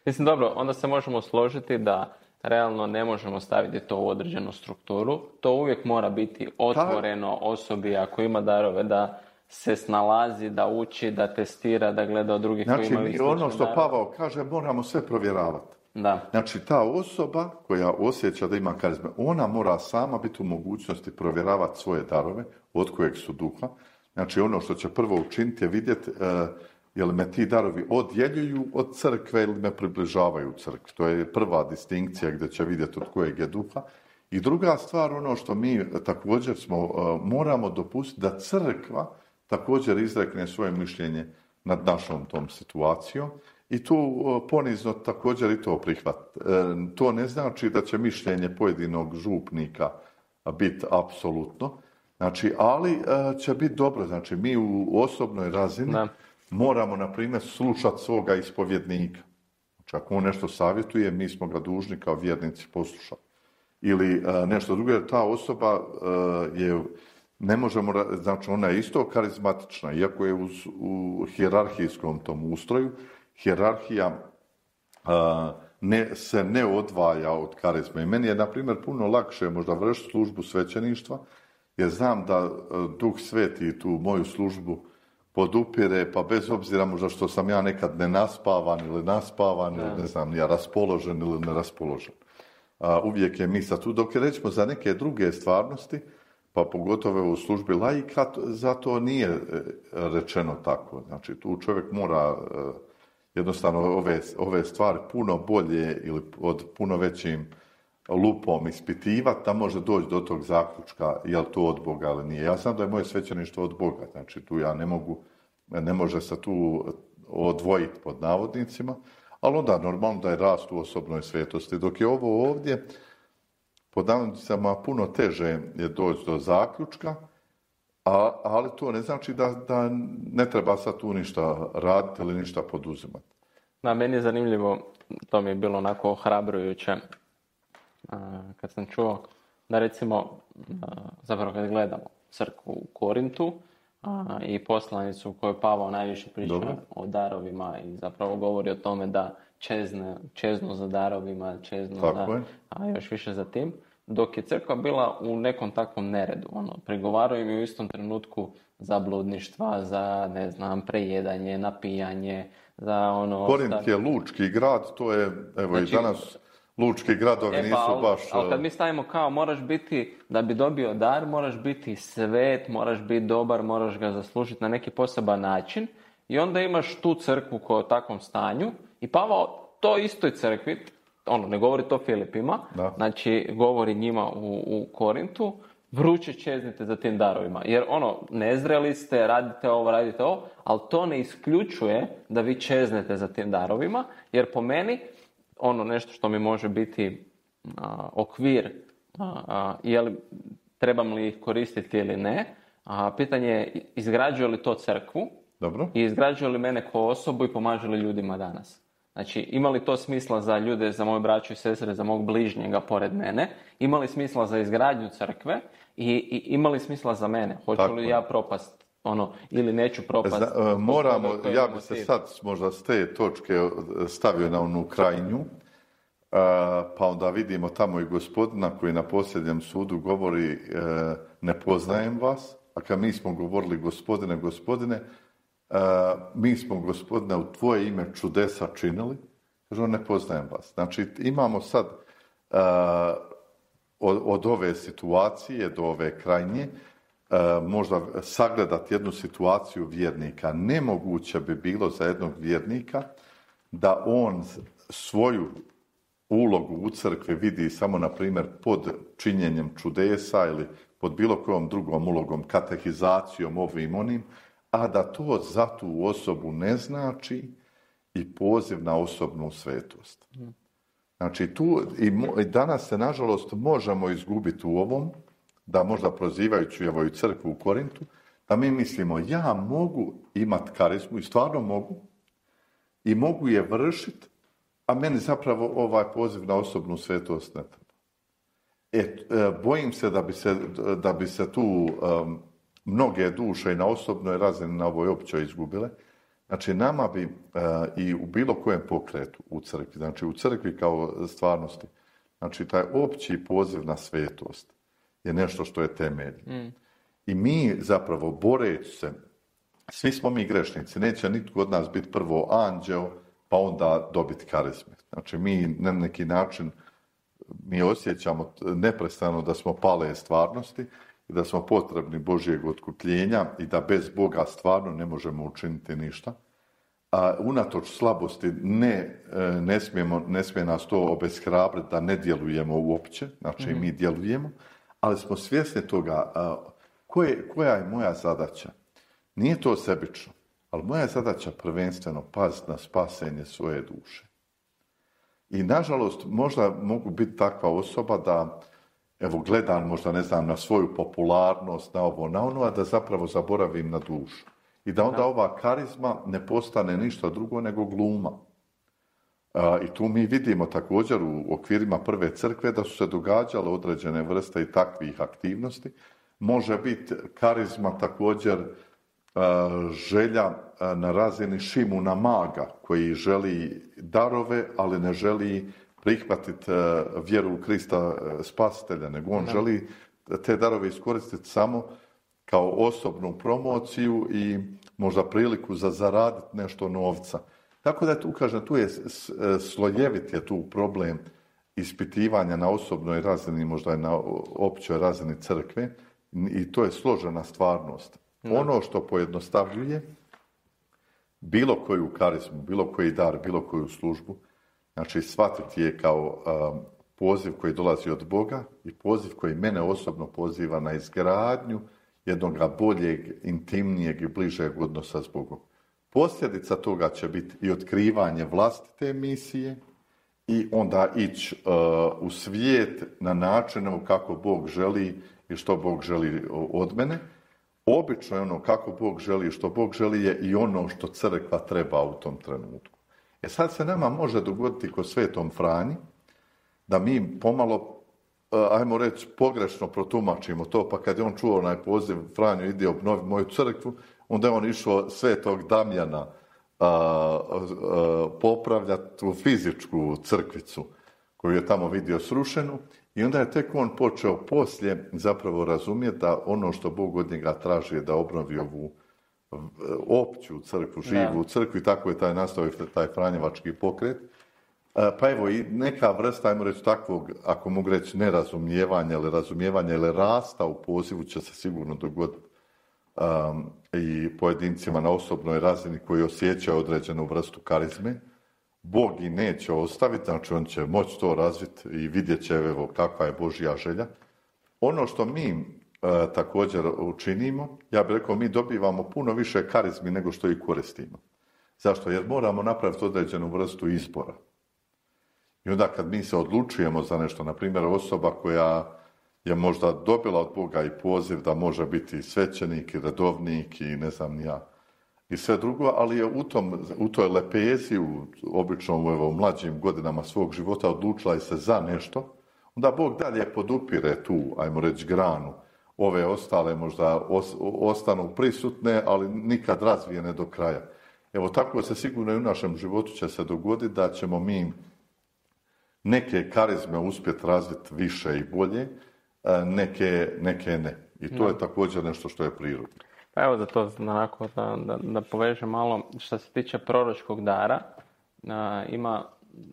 Mislim, dobro, onda se možemo složiti da realno ne možemo staviti to u određenu strukturu. To uvijek mora biti otvoreno osobi ako ima darove da se snalazi, da uči, da testira, da gleda od drugih koji imaju slične darove. Ono što Pavao kaže, moramo sve provjeravati. Da. Znači, ta osoba koja osjeća da ima karizme, ona mora sama biti u mogućnosti provjeravati svoje darove, od kojeg su duha. Znači, ono što će prvo učiniti je vidjeti jel me ti darovi odjeljuju od crkve ili me približavaju crkvi. To je prva distinkcija gdje će vidjeti od kojeg je duha. I druga stvar, ono što mi također moramo dopustiti da crkva također izrekne svoje mišljenje nad našom tom situacijom. I tu ponizno također i to prihvat. To ne znači da će mišljenje pojedinog župnika biti apsolutno, znači, ali će biti dobro. Znači, mi u osobnoj razini moramo, na primjer, slušati svoga ispovjednika. Znači, ako on nešto savjetuje, mi smo ga dužni kao vjernici poslušati. Ili nešto drugo, jer ta osoba je, ne možemo, znači, ona je isto karizmatična, iako je u hijerarhijskom tom ustroju. Hijerarhija se ne odvaja od karizme. I meni je, na primjer, puno lakše možda vršiti službu svećeništva, jer znam da Duh Sveti tu moju službu podupire, pa bez obzira možda što sam ja nekad nenaspavan ili naspavan, ili ne znam, ja raspoložen ili neraspoložen. Uvijek je misa tu, dok je recimo za neke druge stvarnosti, pa pogotovo u službi laika, zato nije rečeno tako. Znači, tu čovjek mora jednostavno ove stvari puno bolje ili pod puno većim lupom ispitivati, da može doći do tog zaključka je li to od Boga ili nije. Ja znam da je moje svećeništvo od Boga, znači tu ja ne može se tu odvojiti pod navodnicima, ali onda normalno da je rast u osobnoj svetosti. Dok je ovo ovdje, pod navodnicama puno teže je doći do zaključka, ali to ne znači da ne treba sad tu ništa raditi ili ništa poduzimati. Da, meni je zanimljivo, to mi je bilo onako ohrabrujuće, kad sam čuo da recimo, zapravo kad gledamo crkvu u Korintu i poslanicu u kojoj Pavao najviše priča o darovima i zapravo govori o tome da čeznu za darovima, a još više za tim, dok je crkva bila u nekom takvom neredu. Prigovaraju im u istom trenutku za bludništva, za, ne znam, prejedanje, napijanje, za Korint je lučki grad, to je, evo znači, i danas lučki gradovi nisu baš... Ali kad mi stavimo kao moraš biti, da bi dobio dar, moraš biti svet, moraš biti dobar, moraš ga zaslužiti na neki poseban način i onda imaš tu crkvu koja je u takvom stanju i Pavao to istoj crkvi, ne govori to Filipima, znači govori njima u Korintu, vruće čeznite za tim darovima. Jer nezreli ste, radite ovo, ali to ne isključuje da vi čeznete za tim darovima, jer po meni, nešto što mi može biti okvir, trebam li ih koristiti ili ne, pitanje je izgrađuje li to crkvu. Dobro. I izgrađuje li mene kao osobu i pomaže li ljudima danas. Znači, ima li to smisla za ljude, za moje braću i sestre, za mog bližnjega pored mene? Ima li smisla za izgradnju crkve? I ima li smisla za mene? Hoću li ja propast ili neću propast? Ja bi se sad možda s te točke stavio na onu krajnju, pa onda vidimo tamo i Gospodina koji na posljednjem sudu govori ne poznajem vas, a kad mi smo govorili Gospodine, mi smo Gospodine u tvoje ime čudesa činili, kaže on ne poznajem vas. Znači imamo sad od ove situacije do ove krajnje možda sagledati jednu situaciju vjernika. Nemoguće bi bilo za jednog vjernika da on svoju ulogu u crkvi vidi samo, na primjer, pod činjenjem čudesa ili pod bilo kojom drugom ulogom, katehizacijom, ovim onim, a da to za tu osobu ne znači i poziv na osobnu svetost. Znači tu i danas se nažalost možemo izgubiti u ovom, da možda prozivajući evo i crkvu u Korintu, da mi mislimo ja mogu imati karizmu i stvarno mogu i mogu je vršiti, a meni zapravo ovaj poziv na osobnu svetost ne treba. Bojim se da bi se tu mnoge duše i na osobnoj razini na ovoj općoj izgubile. Znači nama bi i u bilo kojem pokretu u crkvi, znači u crkvi kao stvarnosti, znači taj opći poziv na svetost je nešto što je temelj. I mi zapravo boreći se, svi smo mi grešnici, neće nitko od nas biti prvo anđeo pa onda dobiti karizme. Znači mi na neki način mi osjećamo neprestano da smo pale stvarnosti i da smo potrebni Božjeg otkupljenja i da bez Boga stvarno ne možemo učiniti ništa. A unatoč slabosti ne smije nas to obeshrabriti da ne djelujemo uopće, znači mi djelujemo, ali smo svjesni toga koja je moja zadaća. Nije to sebično, ali moja zadaća prvenstveno paziti na spasenje svoje duše. I nažalost možda mogu biti takva osoba da evo gledam možda ne znam na svoju popularnost, na ovo, na ono, a da zapravo zaboravim na dušu. I da onda ova karizma ne postane ništa drugo nego gluma. I tu mi vidimo također u okvirima prve crkve da su se događale određene vrste i takvih aktivnosti. Može biti karizma također želja na razini Šimuna maga koji želi darove, ali ne želi prihvatiti vjeru u Krista spasitelja, nego on želi te darove iskoristiti samo kao osobnu promociju i možda priliku za zaraditi nešto novca. Tako da tu kažem, tu je slojevit je tu problem ispitivanja na osobnoj razini, možda i na općoj razini crkve i to je složena stvarnost. Ono što pojednostavljuje bilo koju karizmu, bilo koji dar, bilo koju službu, znači shvatiti je kao poziv koji dolazi od Boga i poziv koji mene osobno poziva na izgradnju jednog boljeg, intimnijeg i bližeg odnosa s Bogom. Posljedica toga će biti i otkrivanje vlastite misije i onda ići u svijet na način kako Bog želi i što Bog želi od mene. Obično je ono kako Bog želi i što Bog želi je i ono što crkva treba u tom trenutku. Sad se nama može dogoditi kod Svetom Franji da mi pomalo, ajmo reći, pogrešno protumačimo to, pa kad je on čuo onaj poziv Franjo ide obnovi moju crkvu, onda je on išao Svetog Damjana popravljati u fizičku crkvicu koju je tamo vidio srušenu i onda je tek on počeo poslije zapravo razumjeti da ono što Bog od njega traži je da obnovi ovu opću crkvu, živu crkvu i tako je taj nastavio taj franjevački pokret. Pa evo, i neka vrsta, ajmo reći takvog, ako mogu reći, nerazumijevanja ili rasta u pozivu će se sigurno dogoditi i pojedincima na osobnoj razini koji osjećaju određenu vrstu karizme. Bog i neće ostaviti, znači on će moći to razviti i vidjet će evo kakva je Božja želja. Ono što mi također učinimo, ja bih rekao, mi dobivamo puno više karizmi nego što ih koristimo. Zašto? Jer moramo napraviti određenu vrstu izbora. I onda kad mi se odlučujemo za nešto, na primjer osoba koja je možda dobila od Boga i poziv da može biti svećenik i redovnik i ne znam ni ja, i sve drugo, ali je u toj lepezi, obično u mlađim godinama svog života odlučila i se za nešto, onda Bog dalje podupire tu, ajmo reći, granu. Ove ostale možda ostanu prisutne, ali nikad razvijene do kraja. Evo, tako se sigurno i u našem životu će se dogoditi da ćemo mi neke karizme uspjeti razviti više i bolje, neke ne. I to je također nešto što je prirodno. Pa evo da to onako, da povežem malo, što se tiče proročkog dara, ima,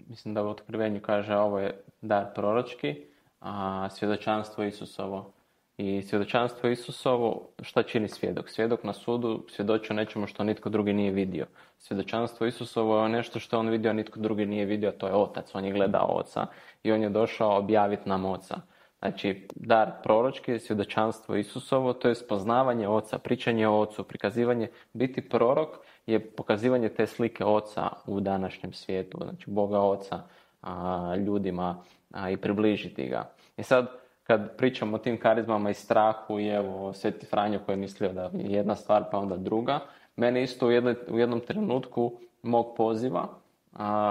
mislim da u Otkrivenju kaže ovo je dar proročki, a svjedočanstvo Isusovo. I svjedočanstvo Isusovo, šta čini svjedok? Svjedok na sudu svjedoči o nečemu što nitko drugi nije vidio. Svjedočanstvo Isusovo je nešto što on vidio, a nitko drugi nije vidio, to je Otac. On je gledao Oca i on je došao objaviti nam Oca. Znači, dar proročki, svjedočanstvo Isusovo, to je spoznavanje Oca, pričanje o Ocu, prikazivanje. Biti prorok je pokazivanje te slike Oca u današnjem svijetu, znači Boga Oca ljudima i približiti ga. I sad, kad pričamo o tim karizmama i strahu i evo Sveti Franjo koji je mislio da je jedna stvar pa onda druga, mene isto u jednom trenutku mog poziva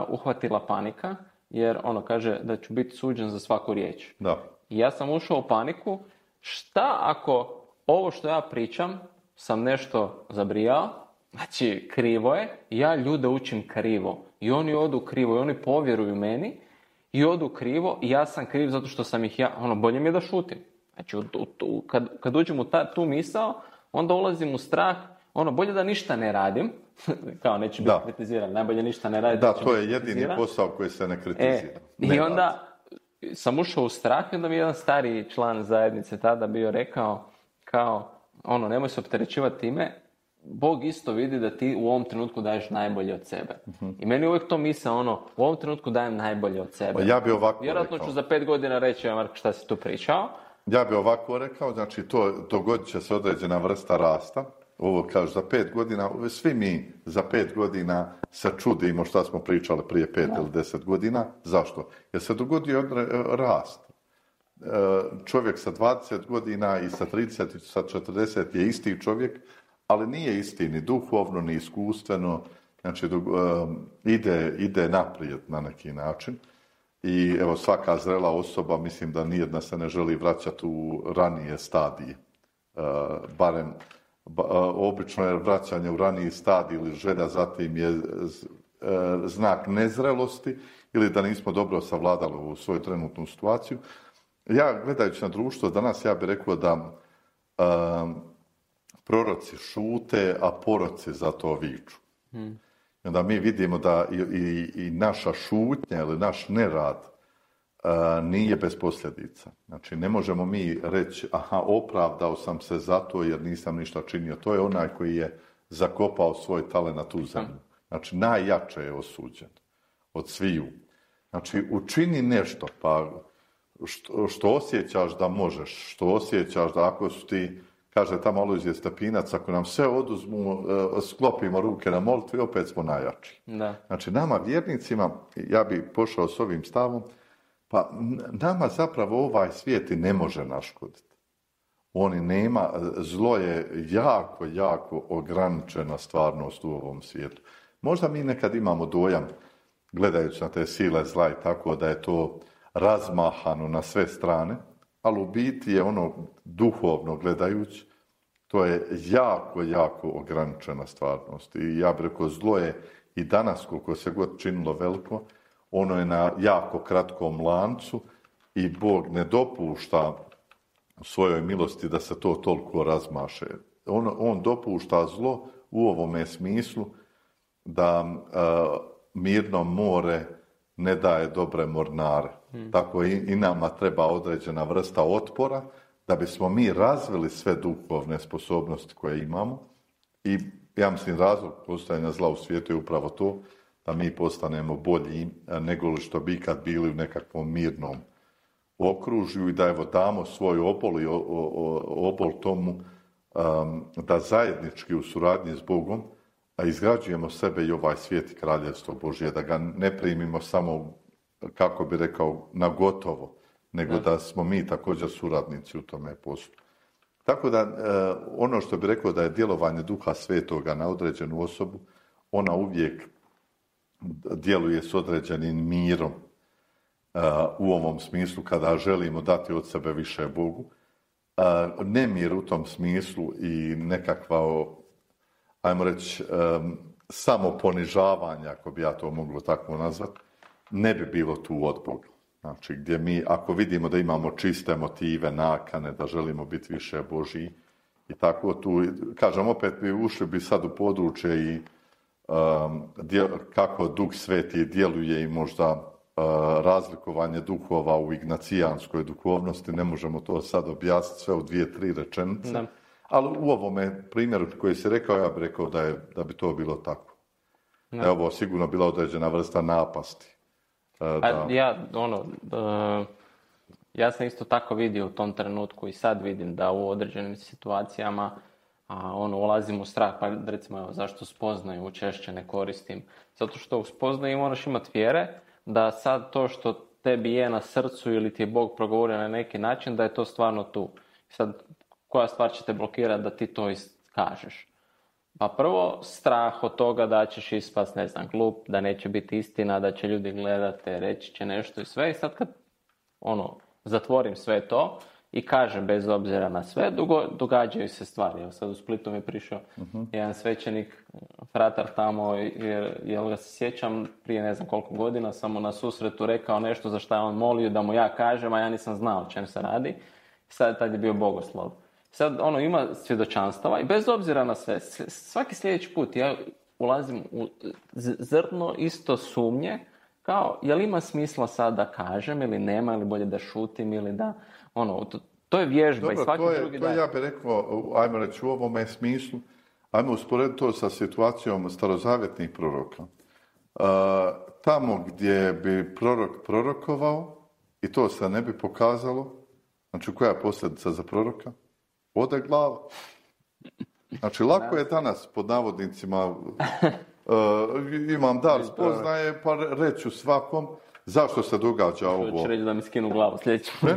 uhvatila panika, jer ono kaže da ću biti suđen za svaku riječ. Da. I ja sam ušao u paniku, šta ako ovo što ja pričam sam nešto zabrijao, znači krivo je, ja ljude učim krivo i oni odu krivo i oni povjeruju meni i odu krivo i ja sam kriv zato što sam ih bolje mi je da šutim. Znači kad uđem u tu misao, onda ulazim u strah, bolje da ništa ne radim, kao neću biti kritiziran, najbolje ništa ne radim. Da, to je jedini posao koji se ne kritizira. I onda sam ušao u strah i onda mi jedan stariji član zajednice tada bio rekao kao, nemoj se opterećivati time, Bog isto vidi da ti u ovom trenutku daješ najbolje od sebe. I meni uvijek to misle, u ovom trenutku dajem najbolje od sebe. Ja bi ovako vjerojatno rekao. Ću za 5 godina reći, Marko, šta si tu pričao? Ja bi ovako rekao, znači dogodit će se određena vrsta rasta. Ovo kažu za 5 godina, svi mi za 5 godina se čudimo šta smo pričali prije 5 ili 10 godina. Zašto? Jer se dogodio rast. Čovjek sa 20 godina i sa 30 i sa 40 je isti čovjek, ali nije isti ni duhovno, ni iskustveno, znači ide naprijed na neki način. I evo svaka zrela osoba, mislim da nijedna se ne želi vraćati u ranije stadije. Barem obično je vraćanje u raniji stadij ili želja zatim je znak nezrelosti ili da nismo dobro savladali u svoju trenutnu situaciju. Ja gledajući na društvo danas, ja bih rekao da proroci šute, a poroci zato viču. I onda mi vidimo da i naša šutnja ili naš nerad nije bez posljedica. Znači, ne možemo mi reći, opravdao sam se zato jer nisam ništa činio. To je onaj koji je zakopao svoj talenat u zemlju. Znači, najjače je osuđen od sviju. Znači, učini nešto, pa što osjećaš da možeš, što osjećaš da ako su ti, kaže tamo Alojzije Stepinac, ako nam sve oduzmu, sklopimo ruke na molitvi, opet smo najjači. Da. Znači, nama vjernicima, ja bi pošao s ovim stavom, pa nama zapravo ovaj svijet i ne može naškoditi. On nema, zlo je jako, jako ograničena stvarnost u ovom svijetu. Možda mi nekad imamo dojam, gledajući na te sile zla i tako, da je to razmahano na sve strane, ali u biti je ono duhovno gledajući, to je jako, jako ograničena stvarnost. I ja bih rekao, zlo je i danas, koliko se god činilo veliko, ono je na jako kratkom lancu i Bog ne dopušta u svojoj milosti da se to toliko razmaše. On dopušta zlo u ovome smislu da mirno more ne daje dobre mornare. Tako i nama treba određena vrsta otpora da bismo mi razvili sve duhovne sposobnosti koje imamo. I ja mislim razlog postojanja zla u svijetu je upravo to da mi postanemo bolji nego što bi ikad bili u nekakvom mirnom okružju i da evo damo svoj obol i obol tomu da zajednički u suradnji s Bogom izgrađujemo sebe i ovaj svijet i kraljevstvo Božje, da ga ne primimo samo, kako bi rekao, na gotovo, nego da smo mi također suradnici u tome poslu. Tako da ono što bi rekao da je djelovanje Duha Svetoga na određenu osobu, ona uvijek djeluje s određenim mirom u ovom smislu kada želimo dati od sebe više Bogu. Nemir u tom smislu i nekakva, ajmo reći, samoponižavanje, ako bi ja to moglo tako nazvati, ne bi bilo tu od Boga. Znači, gdje mi, ako vidimo da imamo čiste motive, nakane, da želimo biti više Božji i tako tu, kažem, opet bi ušli bi sad u područje i kako Duh Sveti djeluje i možda razlikovanje duhova u ignacijanskoj duhovnosti, ne možemo to sad objasniti sve u 2-3 rečenice, da. Ali u ovome primjeru koji si rekao, ja bih rekao da bi to bilo tako. Da je ovo sigurno bila određena vrsta napasti. Ja sam isto tako vidio u tom trenutku i sad vidim da u određenim situacijama ulazim u strah, pa recimo zašto spoznaju češće ne koristim. Zato što u spoznaju moraš imati vjere da sad to što tebi je na srcu ili ti je Bog progovorio na neki način, da je to stvarno tu. Sad, koja stvar će te blokirati da ti to kažeš? Pa prvo, strah od toga da ćeš ispast, ne znam, glup, da neće biti istina, da će ljudi gledati, reći će nešto i sve. I sad kad zatvorim sve to i kažem bez obzira na sve, događaju se stvari. Evo sad u Splitu mi je prišao jedan svećenik, fratar tamo, jer ga se sjećam prije ne znam koliko godina, sam mu na susretu rekao nešto za što je on molio da mu ja kažem, a ja nisam znao o čem se radi. Sad tad je bio bogoslov. Sad ima svjedočanstava i bez obzira na sve, svaki sljedeći put ja ulazim u zrno isto sumnje, kao je li ima smisla sad da kažem ili nema, ili bolje da šutim ili da, to je vježba. Dobro, i svaki drugi to ja bih rekao, ajmo reći u ovome smislu, ajmo usporediti to sa situacijom starozavjetnih proroka. Tamo gdje bi prorok prorokovao i to se ne bi pokazalo, znači koja je posljedica za proroka? Ode glava. Znači, lako je danas, pod navodnicima, imam dar spoznaje, pa reću svakom zašto se događa ovo. Hoće reći da mi skinu glavu sljedeći put.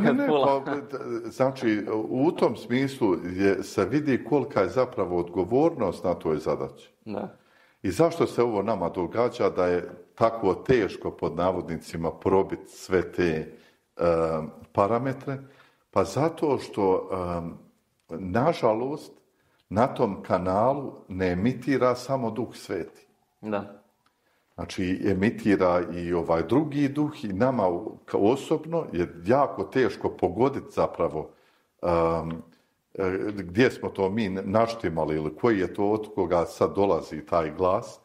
Znači, u tom smislu se vidi kolika je zapravo odgovornost na toj zadaći. Da. I zašto se ovo nama događa da je tako teško, pod navodnicima, probiti sve te parametre? Pa zato što nažalost, na tom kanalu ne emitira samo Duh Sveti. Da. Znači, emitira i ovaj drugi duh i nama osobno je jako teško pogoditi zapravo gdje smo to mi naštimali ili koji je to od koga sad dolazi taj glas.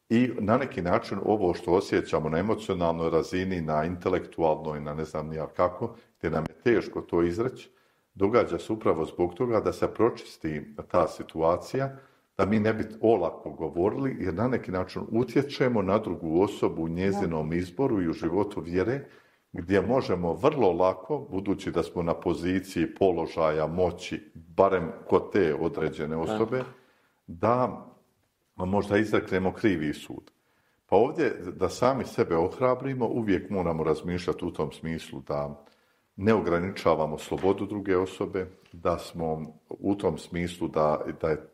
I na neki način ovo što osjećamo na emocionalnoj razini, na intelektualnoj, na ne znam nija kako, gdje nam je teško to izreći, događa se upravo zbog toga da se pročisti ta situacija, da mi ne bi olako govorili, jer na neki način utječemo na drugu osobu u njezinom izboru i u životu vjere, gdje možemo vrlo lako, budući da smo na poziciji položaja moći, barem kod te određene osobe, da možda izreknemo krivi sud. Pa ovdje, da sami sebe ohrabrimo, uvijek moramo razmišljati u tom smislu da ne ograničavamo slobodu druge osobe, da smo u tom smislu da je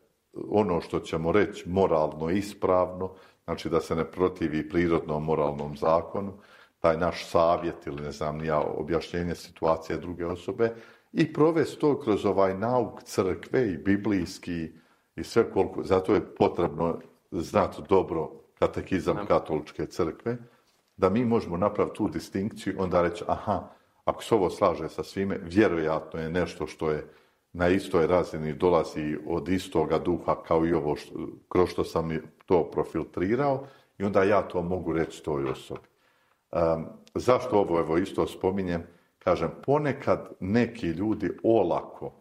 ono što ćemo reći moralno ispravno, znači da se ne protivi prirodnom moralnom zakonu, taj naš savjet ili ne znam nija objašnjenje situacije druge osobe i provesti to kroz ovaj nauk crkve i biblijski i sve koliko, zato je potrebno znati dobro katekizam katoličke crkve, da mi možemo napraviti tu distinkciju, onda reći, aha, ako se ovo slaže sa svime, vjerojatno je nešto što je na istoj razini, dolazi od istoga duha kao i ovo kroz što sam to profiltrirao i onda ja to mogu reći toj osobi. Zašto ovo evo isto spominjem? Kažem, ponekad neki ljudi olako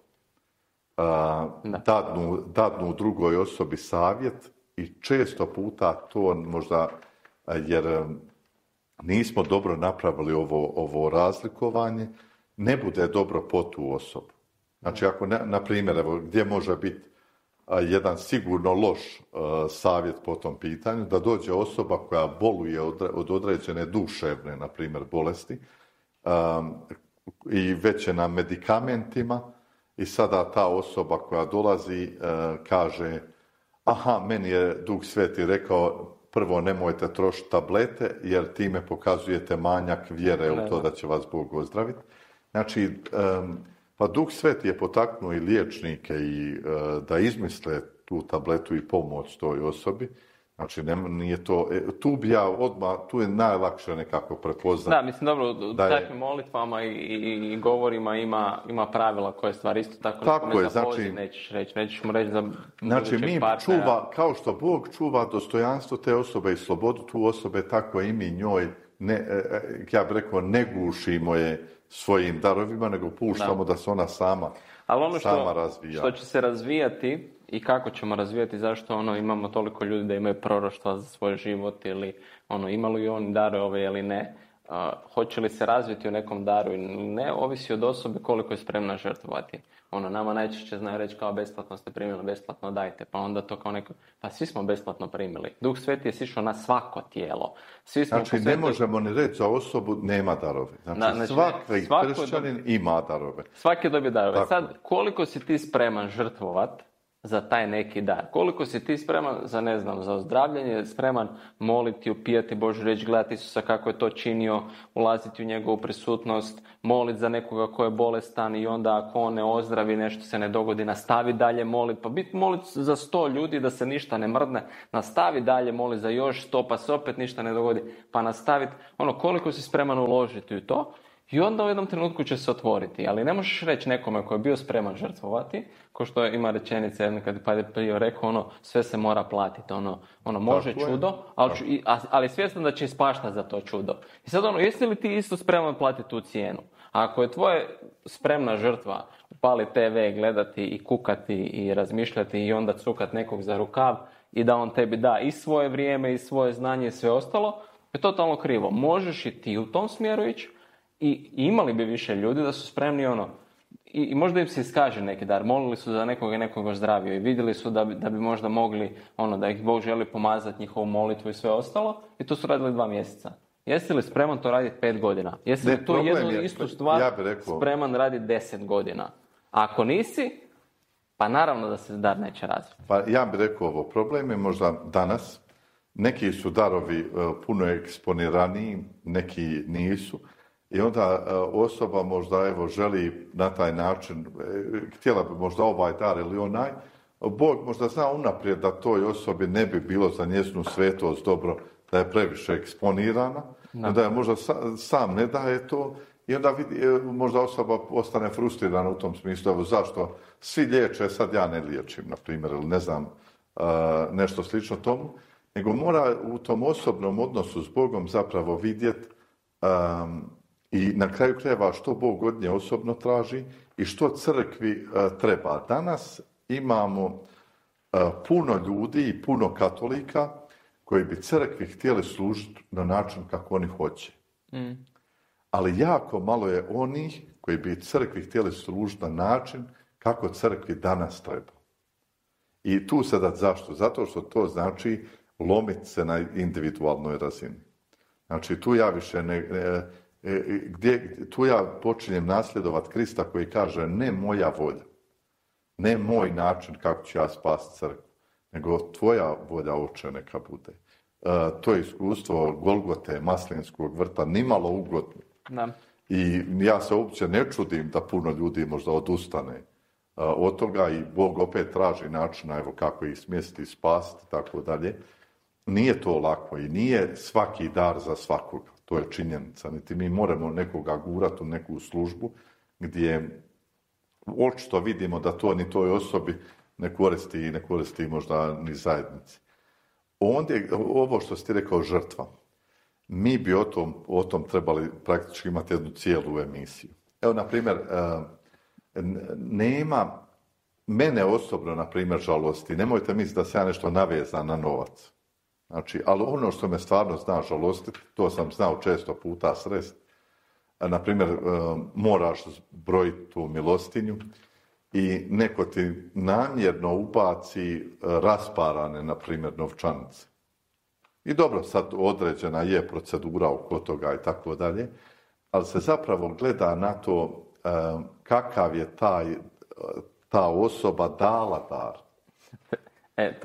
dadnu drugoj osobi savjet i često puta to možda, jer nismo dobro napravili ovo razlikovanje, ne bude dobro po tu osobu. Znači, ako, na primjer, evo, gdje može biti jedan sigurno loš savjet po tom pitanju, da dođe osoba koja boluje od određene duševne, na primjer, bolesti i već je na medikamentima i sada ta osoba koja dolazi kaže meni je Duh Sveti rekao prvo nemojte trošiti tablete jer time pokazujete manjak vjere u to da će vas Bog ozdraviti. Znači, pa Duh Sveti je potaknuo i liječnike i da izmisle tu tabletu i pomoć toj osobi. Znači, nije to, tu bi ja odmah, tu je najlakše nekako prepoznati. Da, mislim, dobro, u takvim molitvama i govorima ima pravila koje stvari isto tako. Tako je, znači, nećeš mu reći za znači, mi čuva, kao što Bog čuva dostojanstvo te osobe i slobodu tu osobe, tako i mi njoj, ja bih rekao, ne gušimo je svojim darovima, nego puštamo da se ona sama razvija. Ali ono što će se razvijati i kako ćemo razvijati, zašto imamo toliko ljudi da imaju proroštva za svoj život ili imali li oni darove ili ne, hoće li se razviti u nekom daru ili ne, ovisi od osobe koliko je spremna žrtvovati. Nama najčešće znaju reći kao besplatno ste primili, besplatno dajte, pa onda to kao neko, pa svi smo besplatno primili. Duh Sveti je sišao na svako tijelo. Znači, ne možemo ni reći za osobu nema darove. Znači svaki kršćanin ima darove. Svaki dobije darove. Tako. Sad, koliko si ti spreman žrtvovat za taj neki dar? Koliko si ti spreman za ozdravljanje, spreman moliti, upijati Božju riječ, gledati Isusa kako je to činio, ulaziti u njegovu prisutnost, moliti za nekoga ko je bolestan i onda ako on ne ozdravi, nešto se ne dogodi, nastavi dalje moliti, pa moliti za 100 ljudi da se ništa ne mrdne, nastavi dalje moliti za još 100 pa se opet ništa ne dogodi, pa nastaviti, koliko si spreman uložiti u to. I onda u jednom trenutku će se otvoriti, ali ne možeš reći nekome koji je bio spreman žrtvovati, ko što ima rečenica jedna kad je prije rekao, sve se mora platiti, može čudo, ali svjestan da će ispašta za to čudo. I sad jesi li ti isto spreman platiti tu cijenu? A ako je tvoje spremna žrtva upali TV, gledati i kukati i razmišljati i onda cukat nekog za rukav i da on tebi da i svoje vrijeme i svoje znanje i sve ostalo, je totalno krivo. Možeš i ti u tom smjeru ići, i imali bi više ljudi da su spremni i možda im se iskaže neki dar. Molili su za nekoga zdravio i vidjeli su da bi možda mogli da ih Bog želi pomazati njihovu molitvu i sve ostalo i to su radili 2 mjeseca. Jesi li spreman to raditi 5 godina? Jesi li to jednu istu stvar spreman raditi 10 godina? Ako nisi, pa naravno da se dar neće razviti. Pa ja bih rekao ovo, problem je možda danas, neki su darovi puno eksponiraniji, neki nisu. I onda osoba možda želi na taj način, htjela bi možda ovaj dar ili onaj, Bog možda zna unaprijed da toj osobi ne bi bilo za njezinu svetost dobro, da je previše eksponirana, da je možda sam ne daje to i onda možda osoba ostane frustrirana u tom smislu, zašto svi liječe, sad ja ne liječim, na primjer, ili ne znam, nešto slično tomu, nego mora u tom osobnom odnosu s Bogom zapravo vidjeti i na kraju krajeva što Bog od nje osobno traži i što crkvi treba. Danas imamo puno ljudi i puno katolika koji bi crkvi htjeli služiti na način kako oni hoće. Ali jako malo je onih koji bi crkvi htjeli služiti na način kako crkvi danas treba. I tu sada zašto? Zato što to znači lomiti se na individualnoj razini. Znači tu ja više tu ja počinjem nasljedovati Krista koji kaže ne moja volja, ne moj način kako ću ja spasiti crkvu, nego tvoja volja, Oče, neka bude. To je iskustvo Golgote, Maslinskog vrta, nimalo ugodno. Da. I ja se uopće ne čudim da puno ljudi možda odustane od toga i Bog opet traži načina kako ih smjestiti, spasiti, tako dalje. Nije to lako i nije svaki dar za svakoga. To je činjenica. Niti mi moramo nekoga gurati u neku službu gdje očito vidimo da to ni toj osobi ne koristi možda ni zajednici. Ondje, ovo što si ti rekao, žrtva. mi bi o tom trebali praktički imati jednu cijelu emisiju. Evo, na primjer, nema mene osobno, na primjer, žalosti. Nemojte misliti da se ja nešto navezan na novac. Znači, ali ono što me stvarno zna žalostiti, to sam znao često puta sresti. Na primjer, moraš brojiti tu milostinju i neko ti namjerno ubaci rasparane, na primjer, novčanice. I dobro, sad određena je procedura oko toga i tako dalje, ali se zapravo gleda na to kakav je ta osoba dala dar.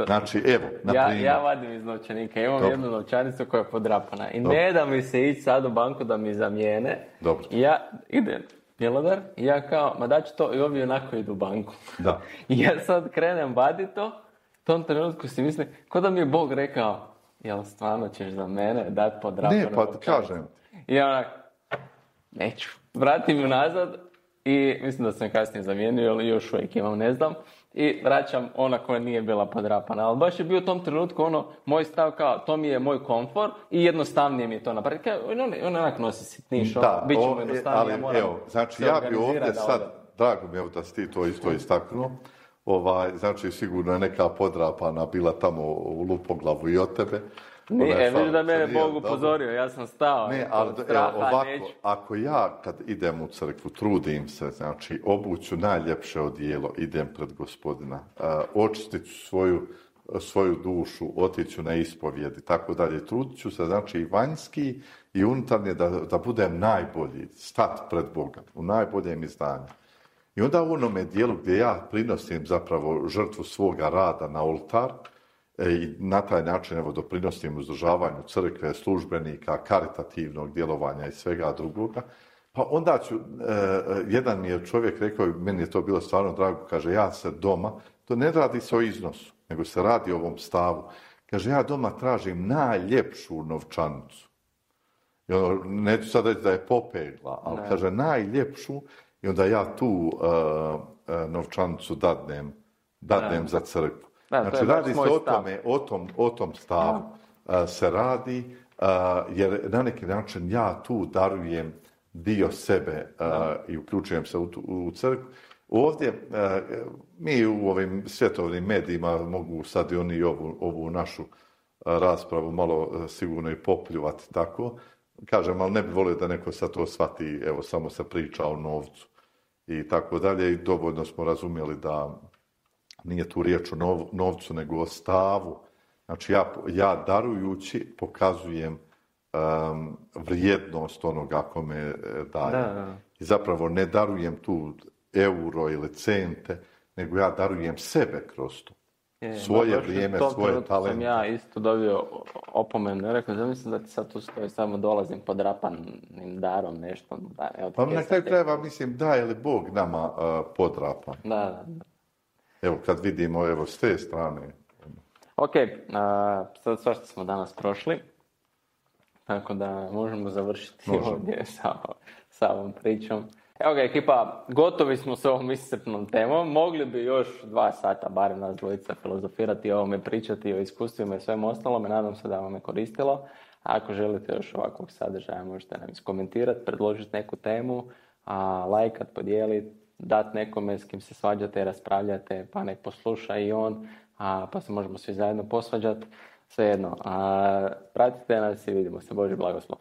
Znači, evo, na primjer. Ja vadim iz novčanika, imam jednu novčanicu koja je podrapana i ne da mi se ići sad u banku da mi zamijene. Dobro. Ja idem bjelodar i ja kao, ma daću to i ovi onako idu u banku. Da. I ja sad krenem vaditi to, u tom trenutku si mislim, ko da mi je Bog rekao, jel stvarno ćeš za mene dati podrapanu novčanicu? Ne, pa kažem. I ja onak, neću. Vratim ju nazad i mislim da sam kasnije zamijenio, ali još uvijek imam, ne znam. I vraćam ona koja nije bila podrapana. Ali baš je bio u tom trenutku moj stav kao, to mi je moj komfor i jednostavnije mi je to napraviti. On onak nosi sitniš, bit će mu jednostavnije, ja moram znači ja bi ovdje sad, drago mi je da si ti to isto istaknuo, znači sigurno je neka podrapana bila tamo u lupoglavu i od tebe. Vidiš da mene Bog upozorio, ja sam stao. Ne, ali ovako, ako ja kad idem u crkvu, trudim se, znači obuću najljepše odijelo, idem pred Gospodina, očistit ću svoju dušu, otiću na ispovjed i tako dalje. Trudit ću se, znači i vanjski i unutarnje da budem najbolji, stat pred Boga, u najboljem izdanju. I onda u onome dijelu gdje ja prinosim zapravo žrtvu svoga rada na oltar, i na taj način doprinosim uzdržavanju crkve, službenika, karitativnog djelovanja i svega drugoga. Pa onda jedan mi je čovjek rekao, meni je to bilo stvarno drago, kaže, ja se doma, to ne radi se o iznosu, nego se radi o ovom stavu. Kaže, ja doma tražim najljepšu novčanicu. I neću sad reći da je popegla, ali kaže, najljepšu, i onda ja tu novčanicu dadnem za crkvu. Znači, radi se o tom stavu se radi, jer na neki način ja tu darujem dio sebe i uključujem se u crkvu. Ovdje, mi u ovim svjetovnim medijima mogu sad i oni ovu našu raspravu malo sigurno i popljuvati tako. Kažem, ali ne bi volio da neko sad to shvati, evo, samo se priča o novcu i tako dalje. I dovoljno smo razumjeli da nije tu riječ o novcu, nego o stavu. Znači, ja darujući pokazujem vrijednost onoga kome dajem. Da. I zapravo ne darujem tu euro ili cente, nego ja darujem sebe kroz to. Svoje vrijeme, svoje talente. Sam ja isto dobio opomenu. Rekao, zamislim da ti sad tu stoji, samo dolazim podrapanim darom, nešto. Pa na kraju krajeva, mislim, da je li Bog nama podrapan? Da. Evo, kad vidimo, evo, s te strane. Ok, sad svašta smo danas prošli, tako da možemo završiti ovdje sa ovom pričom. Evo ga, ekipa, gotovi smo s ovom iscrpnom temom. Mogli bi još 2 sata, barem nas dvojica, filozofirati o ovome, pričati o iskustvima i svemu ostalome. Nadam se da vam je koristilo. A ako želite još ovakvog sadržaja, možete nam iskomentirati, predložiti neku temu, lajkat, podijeliti, dati nekome s kim se svađate, raspravljate, pa nek posluša i on, pa se možemo svi zajedno posvađati. Svejedno, pratite nas i vidimo se. Božji blagoslov.